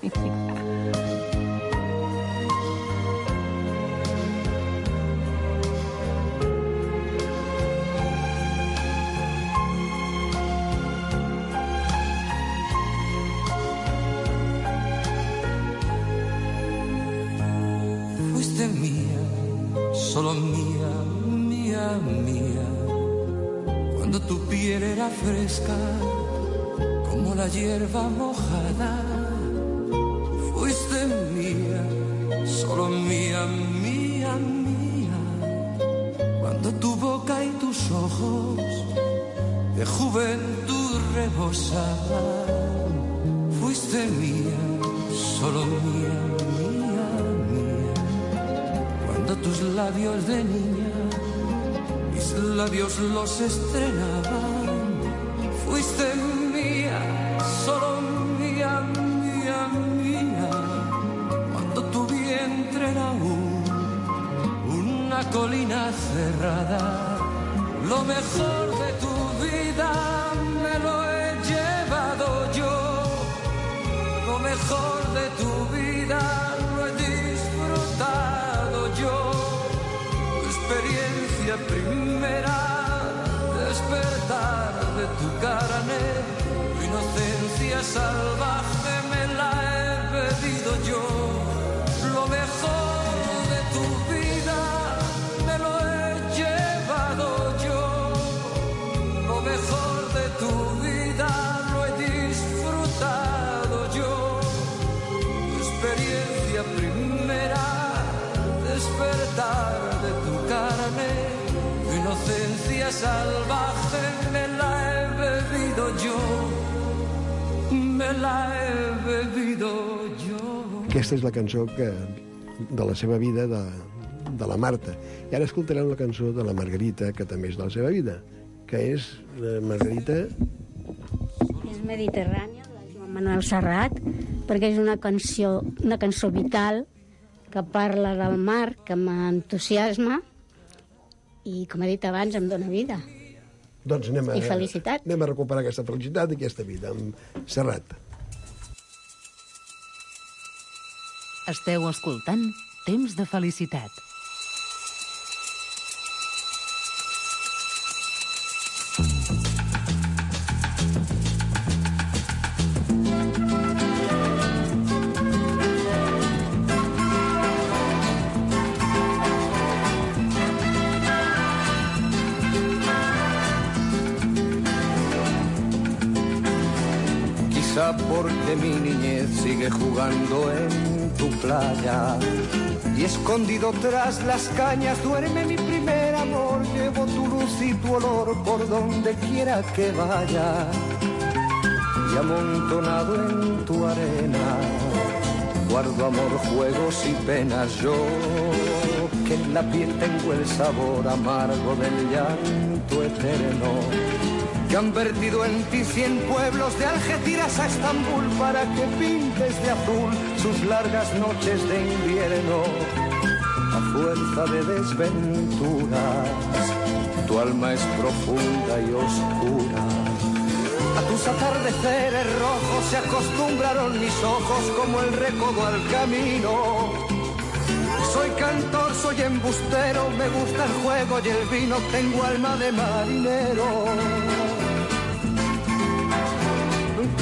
Fuiste mía, solo mía, mía, mía. Cuando tu piel era fresca, como la hierba mojada. Fuiste mía, solo mía, mía, mía. Cuando tu boca y tus ojos de juventud rebosaban. Fuiste mía, solo mía, mía, mía. Cuando tus labios de niña mis labios los estrenaban. Fuiste mía, solo mía, mía, mía. Cuando tu vientre era un, una colina cerrada. Lo mejor de tu vida me lo he llevado yo. Lo mejor de tu vida lo he disfrutado yo. Tu experiencia primera, despertar de tu carne, tu inocencia salvaje me la he bebido yo. Lo mejor de tu vida me lo he llevado yo. Lo mejor de tu vida lo he disfrutado yo. Tu experiencia primera, despertar de tu carne, tu inocencia salvaje me la he bebido yo, me la he bebido yo. Aquesta és la cançó que, de la seva vida, de, de la Marta. I ara escoltarem la cançó de la Margarita, que també és de la seva vida, que és la Margarita... És Mediterrània, de Joan Manuel Serrat, perquè és una cançó, una cançó vital, que parla del mar, que m'entusiasma i, com he dit abans, em dóna vida. Doncs anem a, I felicitat. Anem a recuperar aquesta felicitat i aquesta vida amb Serrat. Esteu escoltant Temps de Felicitat. Porque mi niñez sigue jugando en tu playa y escondido tras las cañas duerme mi primer amor. Llevo tu luz y tu olor por donde quiera que vaya y amontonado en tu arena guardo amor, juegos y penas. Yo que en la piel tengo el sabor amargo del llanto eterno, que han vertido en ti cien pueblos de Algeciras a Estambul para que pintes de azul sus largas noches de invierno. A fuerza de desventuras, tu alma es profunda y oscura. A tus atardeceres rojos se acostumbraron mis ojos como el recodo al camino. Soy cantor, soy embustero, me gusta el juego y el vino, tengo alma de marinero.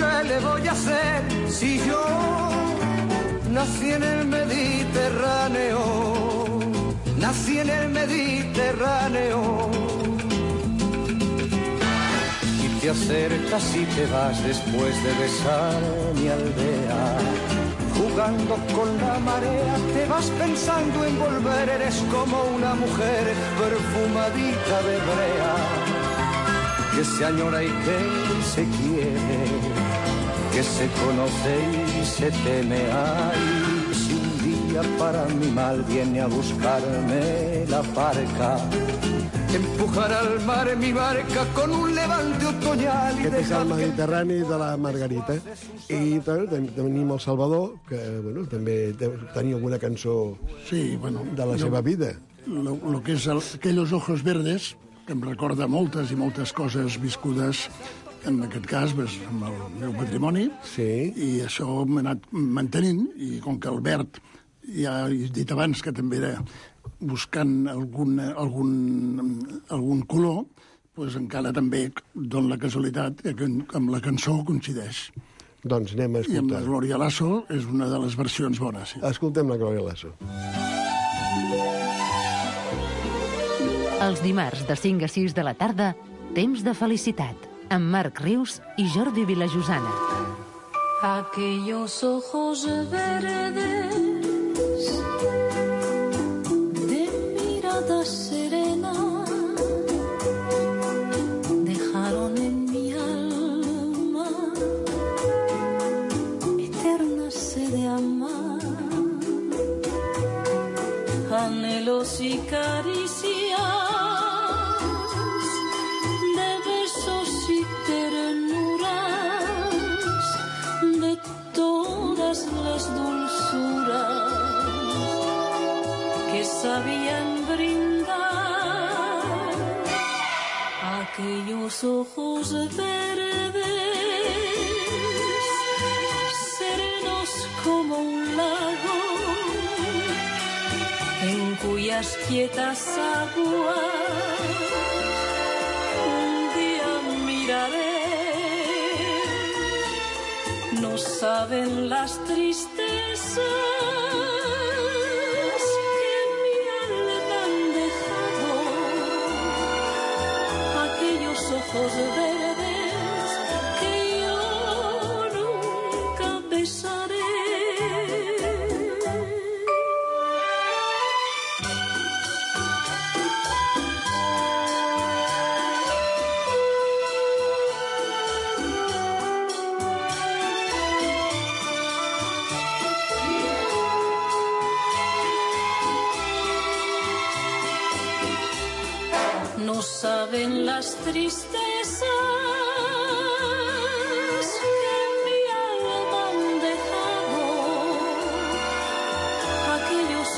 ¿Qué le voy a hacer si yo nací en el Mediterráneo? Nací en el Mediterráneo. Y te acercas y te vas después de besar mi aldea. Jugando con la marea te vas pensando en volver. Eres como una mujer perfumadita de brea, que se añora y que se quiere, que se conoce y se teme. Ay, si un día para mi mal viene a buscarme la barca, empujar al mar mi barca con un levante otoñal. Aquest és el Mediterrani de la Margarita. I tenim el Salvador, que bueno, també tenia alguna cançó sí, bueno, de la seva vida. Lo, lo que és el, aquellos ojos verdes, que em recorda moltes i moltes coses viscudes, en aquest cas, pues, amb el meu patrimoni, sí. I això m'ha anat mantenint, i com que el verd, ja he dit abans que també era buscant algun, algun, algun color, pues encara també dona la casualitat que amb la cançó coincideix. Doncs anem a escoltar. I amb la Glòria Lasso és una de les versions bones. Sí. Escoltem la Glòria Lasso. Els dimarts de cinc a sis de la tarda, Temps de Felicitat, amb Marc Rius i Jordi Vilajosana. Aquellos ojos verdes de mirada serena dejaron en mi alma eterna sed de amar, anhelos y caricias, las dulzuras que sabían brindar aquellos ojos verdes, serenos como un lago, en cuyas quietas aguas un día miraré. No saben las tristezas que mi alma han dejado aquellos ojos verdes que yo nunca besaré. No saben las tristezas que mi alma han dejado aquellos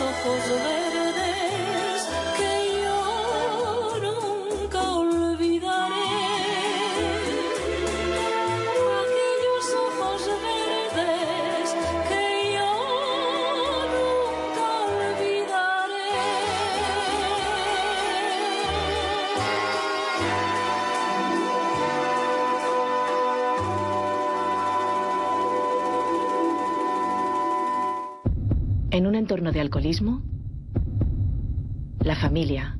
En un entorno de alcoholismo, la familia,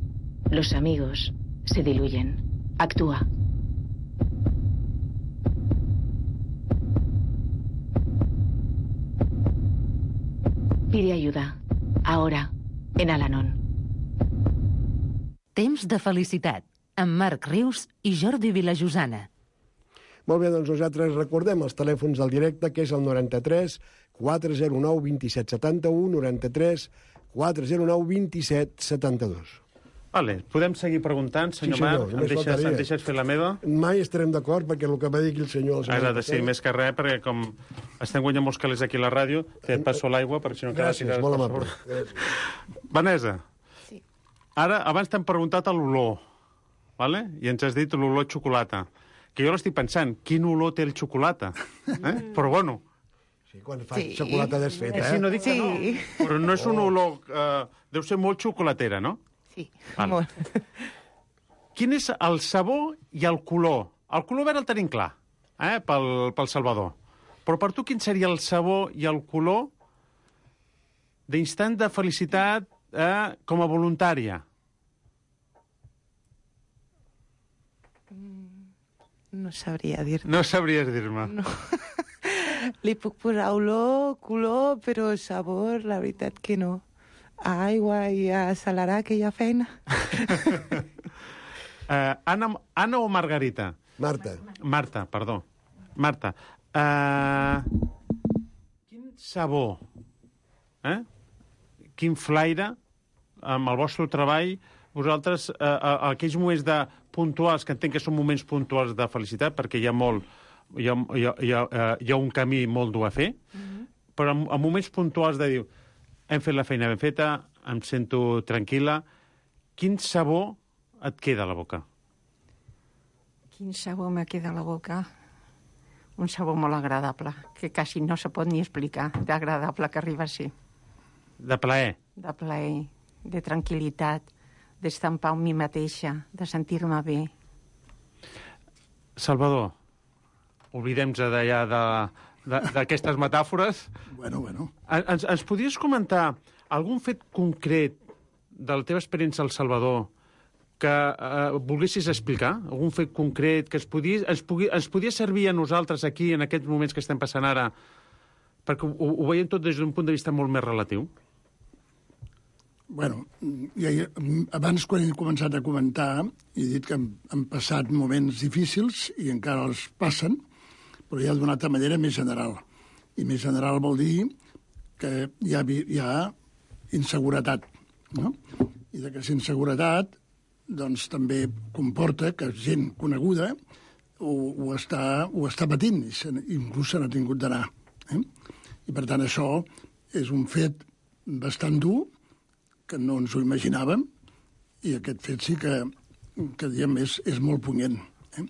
los amigos, se diluyen. Actúa. Pide ayuda. Ahora, en Al-Anon. Temps de felicitat, amb Marc Rius i Jordi Vilajosana. Molt bé, doncs nosaltres recordem els telèfons del directe, que és el noranta-tres quatre zero nou dos set set u, noranta-tres quatre zero nou dos set set dos. Vale, podem seguir preguntant, senyor, Sí, senyor, Marc? Em només deixes, faltaria. em deixes fer la meva? Mai estarem d'acord, perquè el que va dir aquí el senyor... El senyor Ara de ser més que res, perquè com estem guanyant molts calés aquí a la ràdio, et passo l'aigua, perquè si no... cada Gràcies, tirades molt per amable. sobre. Vanessa, sí. Ara, abans t'hem preguntat a l'olor, vale? I ens has dit l'olor xocolata. Que jo l'estic pensant, quin olor té el xocolata? Eh? Però bueno... Sí, quan fa sí. xocolata desfeta, eh? Sí, no dic que no, però no és un olor... Eh, deu ser molt xocolatera, no? Sí, vale. molt. Quin és el sabor i el color? El color verd el tenim clar, eh, pel, pel Salvador. Però per tu quin seria el sabor i el color d'instant de felicitat eh, com a voluntària? No sabria dir-te. No sabries dir-me. No. Li puc posar olor, color, però sabor, la veritat que no. A aigua i a accelerar aquella feina. uh, Anna, Anna o Margarita? Marta. Marta, perdó. Marta. Uh, quin sabor, eh? quin flaire, amb el vostre treball, vosaltres, uh, uh, aquells moments de puntuals, que entenc que són moments puntuals de felicitat, perquè hi ha molt, hi ha, hi ha, hi ha, uh, hi ha un camí molt dur a fer, mm-hmm. però en, en moments puntuals de dir, hem fet la feina ben feta, em sento tranquil·la, quin sabor et queda a la boca? Quin sabor me queda a la boca? Un sabor molt agradable, que quasi no se pot ni explicar, d'agradable que arriba a ser. De plaer? De plaer, de tranquil·litat, d'estar en pau amb mi mateixa, de sentir-me bé. Salvador, oblidem-nos d'allà de, d'aquestes metàfores. Bueno, bueno. Ens, ens podries comentar algun fet concret de la teva experiència al Salvador que eh, volguessis explicar? Algun fet concret que es podia, ens, pugui, ens podia servir a nosaltres aquí, en aquests moments que estem passant ara, perquè ho, ho veiem tot des d'un punt de vista molt més relatiu? Bueno, ja, abans quan he començat a comentar he dit que han, han passat moments difícils i encara els passen, però ja d'una altra manera més general. I més general vol dir que hi ha, hi ha inseguretat, no? I d'aquesta inseguretat doncs, també comporta que gent coneguda ho, ho, està, ho està patint, i se, inclús se n'ha tingut d'anar. Eh? I per tant això és un fet bastant dur, que no ens ho imaginàvem, i aquest fet sí que, que diguem, és, és molt punyent. Eh?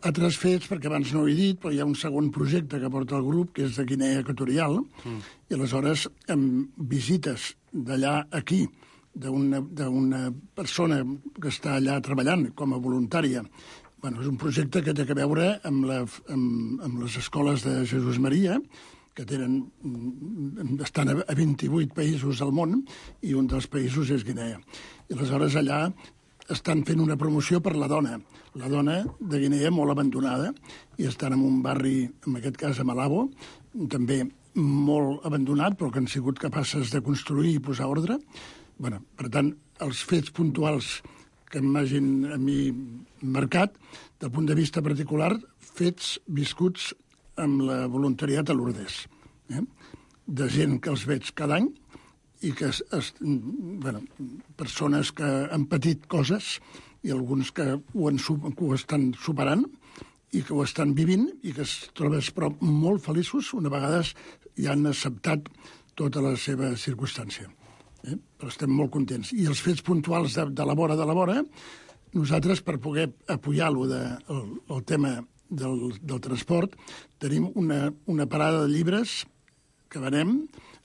Altres fets, perquè abans no ho he dit, però hi ha un segon projecte que porta el grup, que és de Guinea Equatorial, mm. i aleshores amb visites d'allà aquí, d'una persona que està allà treballant com a voluntària. Bueno, és un projecte que té a veure amb, la, amb, amb les escoles de Jesús Maria, que tenen, estan a vint-i-vuit països del món, i un dels països és Guinea. I aleshores allà estan fent una promoció per la dona. La dona de Guinea molt abandonada, i estan en un barri, en aquest cas a Malabo, també molt abandonat, però que han sigut capaces de construir i posar ordre. Bueno, per tant, els fets puntuals que m'hagin a mi marcat, del punt de vista particular, fets viscuts amb la voluntariat a Lourdes, eh? de gent que els veig cada any i que es, es, bueno, persones que han patit coses i alguns que ho, han, que ho estan superant i que ho estan vivint i que es troben però molt feliços una vegada ja han acceptat tota la seva circumstància. Eh? Però estem molt contents. I els fets puntuals de, de la vora de la vora, nosaltres, per poder apoyar-lo de, el, el tema del, del transport, tenim una, una parada de llibres que venem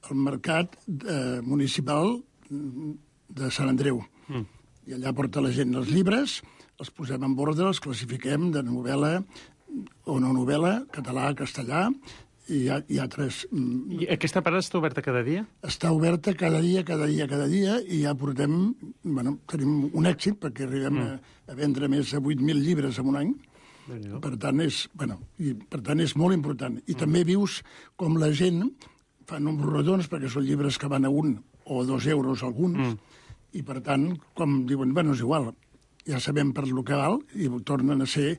al mercat eh, municipal de Sant Andreu. Mm. I allà porta la gent els llibres, els posem en ordre, els classifiquem de novel·la o no novel·la, català, castellà, i hi ha, hi ha tres... I aquesta parada està oberta cada dia? Està oberta cada dia, cada dia, cada dia, i ja portem... Bueno, tenim un èxit, perquè arribem mm. a, a vendre més de vuit mil llibres en un any. Per tant, és, bueno, i, per tant, és molt important. I mm. també vius com la gent fa números redons, perquè són llibres que van a un o dos euros alguns, mm. i per tant, com diuen, bueno, és igual, ja sabem per lo que val, i tornen a ser...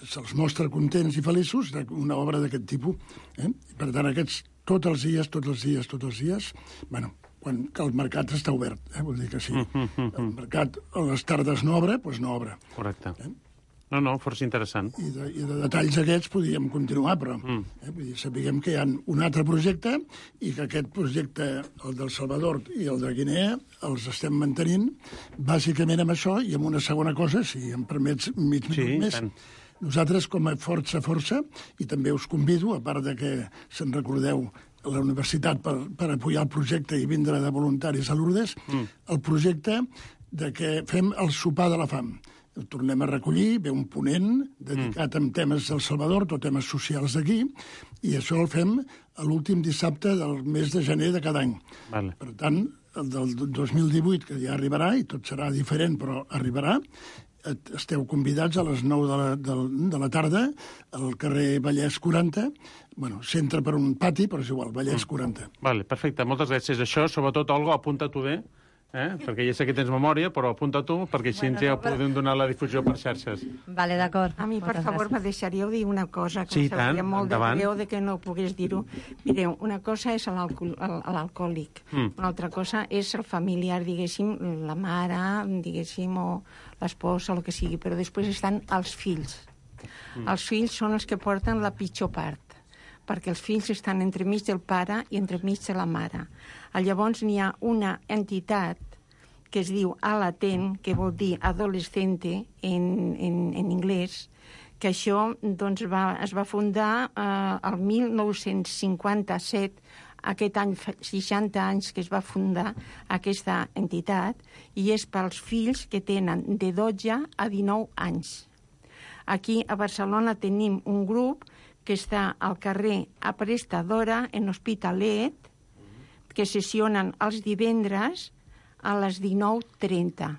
se'ls mostra contents i feliços d'una obra d'aquest tipus. Eh? I per tant, aquests, tots els dies, tots els dies, tots els dies, bueno, quan que el mercat està obert, eh? Vull dir que sí. El mercat a les tardes no obre, doncs no obre. Correcte. Eh? No, no, força interessant. I de, i de detalls aquests podríem continuar, però mm. eh, vull dir, sapiguem que hi ha un altre projecte i que aquest projecte, el del Salvador i el de Guinea, els estem mantenint bàsicament amb això i amb una segona cosa, si em permets mig minut sí, més. Tant. Nosaltres, com a Força Força, i també us convido, a part de que se'n recordeu a la universitat per, per apoyar el projecte i vindre de voluntaris a Lourdes, mm. el projecte de que fem el sopar de la fam. El tornem a recollir, ve un ponent dedicat mm. a temes del Salvador, tot temes socials d'aquí, i això el fem a l'últim dissabte del mes de gener de cada any. Vale. Per tant, el del dos mil divuit, que ja arribarà, i tot serà diferent, però arribarà, esteu convidats a les nou de la, de, de la tarda al carrer Vallès quaranta. Bueno, s'entra per un pati, però és igual, Vallès quaranta. Vale, perfecte, moltes gràcies. Això, sobretot, Olga, apunta-t'ho bé, eh? perquè ja sé que tens memòria, però apunta-t'ho, perquè així bueno, ja no, podem donar la difusió per xarxes. Vale, d'acord. A mi, per moltes favor, gràcies. me deixaríeu dir una cosa, que sí, em sabria molt endavant. de greu de que no pogués dir-ho. Mireu, una cosa és l'alcohòlic, mm. una altra cosa és el familiar, diguéssim, la mare, diguéssim, o l'esposa, el que sigui, però després estan els fills. Mm. Els fills són els que porten la pitjor part, perquè els fills estan entremig del pare i entremig de la mare. Llavors n'hi ha una entitat que es diu Alaten, que vol dir adolescente en, en, en anglès, que això doncs, va, es va fundar eh, el mil nou-cents cinquanta-set, aquest any, seixanta anys que es va fundar aquesta entitat, i és pels fills que tenen de dotze a dinou anys. Aquí a Barcelona tenim un grup que està al carrer Aprestadora, en Hospitalet, que sessionen els divendres a les dinou trenta.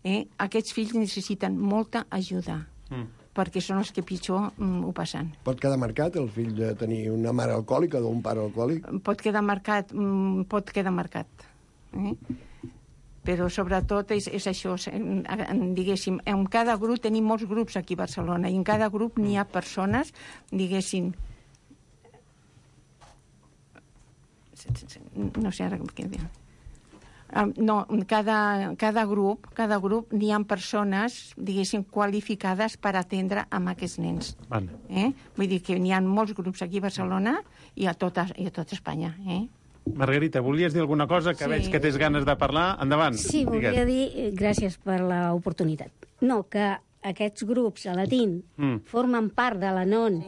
Eh? Aquests fills necessiten molta ajuda, mm. perquè són els que pitjor mm, ho passen. Pot quedar marcat el fill de tenir una mare alcohòlica o un pare alcohòlic? Pot quedar marcat, mm, pot quedar marcat. Eh? Però sobretot és, és això, diguéssim, en cada grup tenim molts grups aquí a Barcelona i en cada grup n'hi ha persones, diguéssim, no sé ara què dir. Um, no, cada, cada grup, cada grup n'hi ha persones, diguéssim, qualificades per atendre amb aquests nens. Vale. Eh? Vull dir que n'hi ha molts grups aquí a Barcelona i a tota, i a tota Espanya. Eh? Margarita, volies dir alguna cosa? Que sí. Veig que tens ganes de parlar. Endavant. Sí, volia Digues. dir, gràcies per l'oportunitat. No, que aquests grups a Latín mm. formen part de la N O N,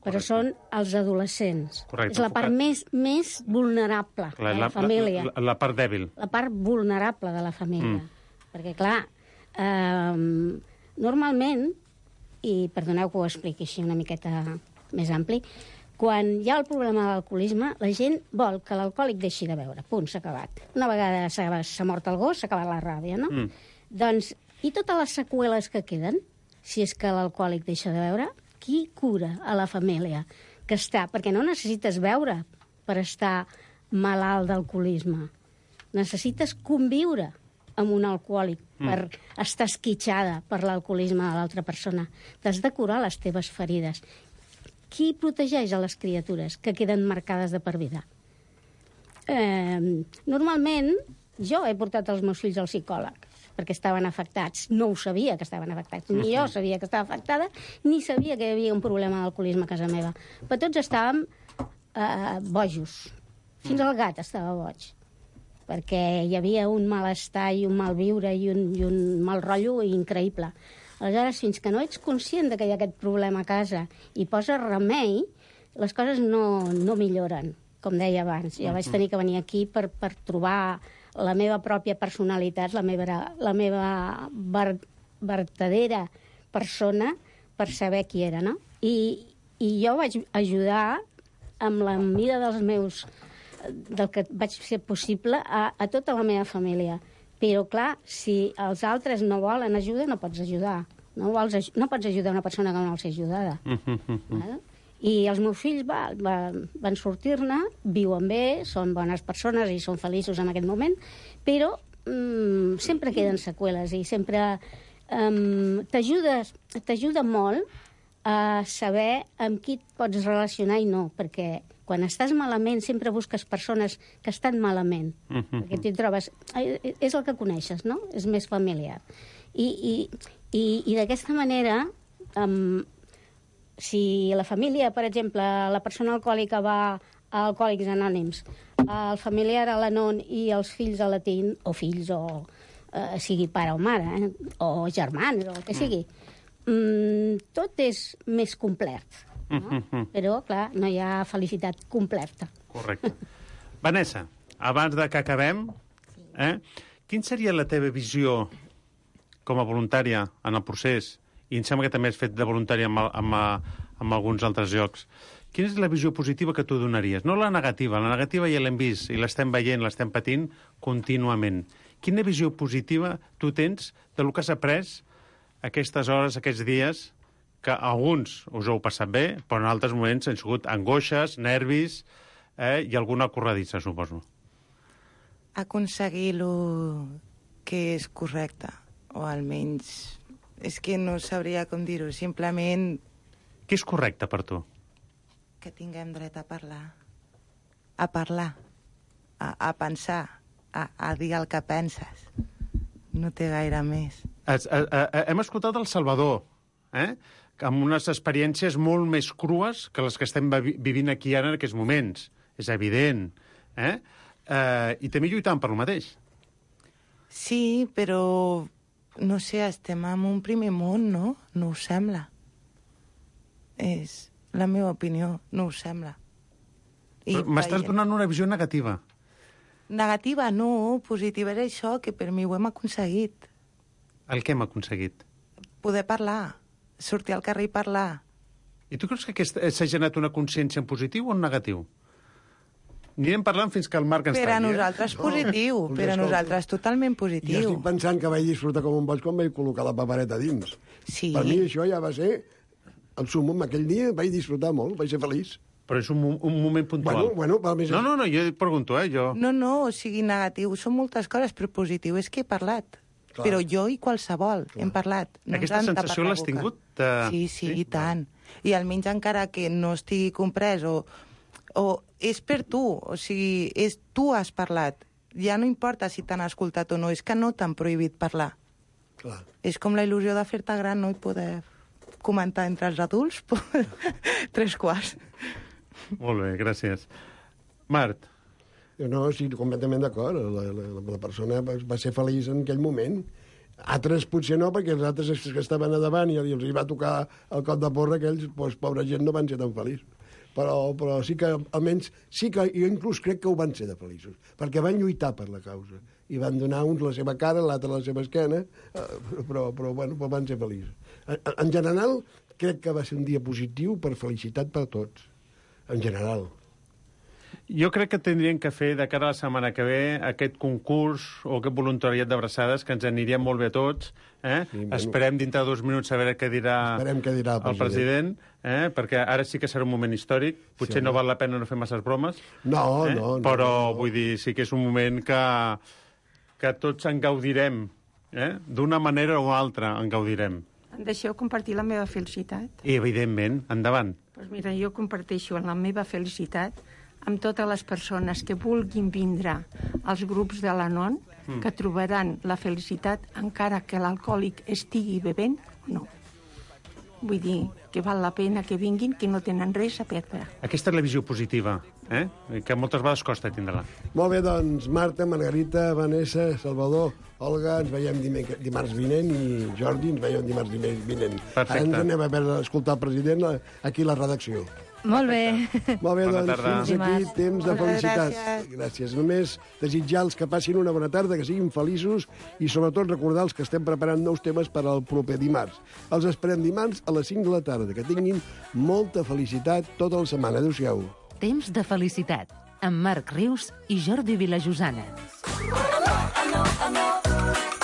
però Correcte. Són els adolescents. Correcte. És la part més, més vulnerable Clar, de la, la família. La, la, la part dèbil. La part vulnerable de la família. Mm. Perquè, clar, eh, normalment, i perdoneu que ho expliqui així una miqueta més ampli, quan hi ha el problema de l'alcoholisme, la gent vol que l'alcohòlic deixi de beure. Punt, s'ha acabat. Una vegada s'ha mort el gos, s'ha acabat la ràbia, no? Mm. Doncs, i totes les seqüeles que queden, si és que l'alcohòlic deixa de beure, qui cura a la família que està? Perquè no necessites beure per estar malalt d'alcoholisme. Necessites conviure amb un alcohòlic mm. per estar esquitxada per l'alcoholisme de l'altra persona. T'has de curar les teves ferides. Qui protegeix a les criatures que queden marcades de per vida? Eh, normalment, jo he portat els meus fills al psicòleg perquè estaven afectats. No ho sabia que estaven afectats. Ni jo sabia que estava afectada, ni sabia que hi havia un problema d'alcoholisme a casa meva. Però tots estàvem eh, bojos. Fins el gat estava boig. Perquè hi havia un malestar i un malviure i un, i un mal rotllo increïble. Aleshores, fins que no ets conscient de que hi ha aquest problema a casa i poses remei, les coses no, no milloren, com deia abans. Jo vaig tenir que venir aquí per, per trobar la meva pròpia personalitat, la meva, la meva ver, vertadera persona per saber qui era, no? I, i jo vaig ajudar amb la mida dels meus, del que vaig fer possible a, a tota la meva família. Però, clar, si els altres no volen ajuda, no pots ajudar. No, vols, no pots ajudar una persona que no vol ser ajudada. Val? I els meus fills va, va, van sortir-ne, viuen bé, són bones persones i són feliços en aquest moment, però mm, sempre queden seqüeles i sempre um, t'ajuda molt a saber amb qui et pots relacionar i no, perquè quan estàs malament sempre busques persones que estan malament, perquè t'hi trobes... És el que coneixes, no? És més familiar. I, i, i, i d'aquesta manera... Um, si la família, per exemple, la persona alcohòlica va a Alcohòlics Anònims, el familiar a l'Anon i els fills a la T I N, o fills, o eh, sigui pare o mare, eh, o germans, o el que sigui, mm, tot és més complet. No? Però, clar, no hi ha felicitat completa. Correcte. Vanessa, abans de que acabem, eh, quin seria la teva visió com a voluntària en el procés? I em sembla que també has fet de voluntària amb, amb, amb alguns altres llocs. Quina és la visió positiva que tu donaries? No la negativa. La negativa ja l'hem vist i l'estem veient, l'estem patint contínuament. Quina visió positiva tu tens del que has après aquestes hores, aquests dies, que alguns us heu passat bé, però en altres moments han sigut angoixes, nervis eh, i alguna corredissa, suposo. Aconseguir el que és correcte, o almenys... És que no sabria com dir-ho, simplement... Què és correcte per tu? Que tinguem dret a parlar. A parlar. A, a pensar. A, a dir el que penses. No té gaire més. Es, a, a, hem escoltat El Salvador, eh? amb unes experiències molt més crues que les que estem vivint aquí ara en aquests moments. És evident. Eh? Eh, I també lluitant per lo mateix. Sí, però... No sé, estem en un primer món, no? No us sembla? És la meva opinió, no us sembla? M'estàs donant una visió negativa. Negativa no, positiva és això, que per mi ho hem aconseguit. El que hem aconseguit? Poder parlar, sortir al carrer i parlar. I tu creus que s'ha generat una consciència en positiu o en negatiu? Anirem parlant fins que el Marc ens talli. Per a eh? nosaltres positiu, no, per a nosaltres totalment positiu. Jo estic pensant que vaig disfrutar com un boig quan vaig col·locar la papereta dins. Sí. Per mi això ja va ser... El sumum, aquell dia vaig disfrutar molt, vaig ser feliç. Però és un, un moment puntual. Bueno, bueno, per més... No, no, no, jo pregunto, eh, jo... No, no, o sigui, negatiu, són moltes coses, però positiu és que he parlat. Clar. Però jo i qualsevol Clar. hem parlat. No Aquesta sensació l'has tingut? De... Sí, sí, sí, i tant. I almenys encara que no estigui comprès o... o és per tu, o sigui, és, tu has parlat. Ja no importa si t'han escoltat o no, és que no t'han prohibit parlar. Clar. És com la il·lusió de fer-te gran, no? I poder comentar entre els adults tres quarts. Molt bé, gràcies. Mart. No, sí, completament d'acord. La, la, la persona va ser feliç en aquell moment. Altres potser no, perquè els altres que estaven a davant i els hi va tocar el cop de porra, aquells, doncs, pobra gent, no van ser tan feliços. Però, però sí que, almenys, sí que jo inclús crec que ho van ser de feliços, perquè van lluitar per la causa, i van donar uns la seva cara, l'altre la seva esquena, però, però, bueno, però van ser feliços. En, en general, crec que va ser un dia positiu per felicitat per tots, en general. Jo crec que tindrien que fer, de cara a la setmana que ve, aquest concurs o aquest voluntariat d'abraçades, que ens aniria molt bé a tots. Eh? Sí, bueno. Esperem dintre de dos minuts saber què dirà, què dirà el president, el president eh? perquè ara sí que serà un moment històric. Potser sí, no val la pena no fer masses bromes. No, eh? no, no. Però, no. vull dir, sí que és un moment que, que tots en gaudirem. Eh? D'una manera o altra en gaudirem. Deixeu compartir la meva felicitat? I, evidentment, endavant. Pues mira, jo comparteixo la meva felicitat amb totes les persones que vulguin vindre als grups de l'Anon, mm. que trobaran la felicitat encara que l'alcohòlic estigui bevent o no. Vull dir que val la pena que vinguin, que no tenen res a perdre. Aquesta és la visió positiva, eh? que moltes vegades costa tindre-la. Molt bé, doncs, Marta, Margarita, Vanessa, Salvador, Olga, ens veiem dimarts vinent i Jordi, ens veiem dimarts vinent. Perfecte. Ara ens anem a veure, a escoltar el president aquí a la redacció. Molt bé. Molt bé, bona doncs, tarda. fins aquí, temps de felicitats. Gràcies. gràcies. Només desitjar els que passin una bona tarda, que siguin feliços i sobretot recordar els que estem preparant nous temes per al proper dimarts. Els esperem dimarts a les cinc de la tarda. Que tinguin molta felicitat tota la setmana. Adéu-siau. Temps de felicitat, amb Marc Rius i Jordi Vilajosana. Amor, amor, amor.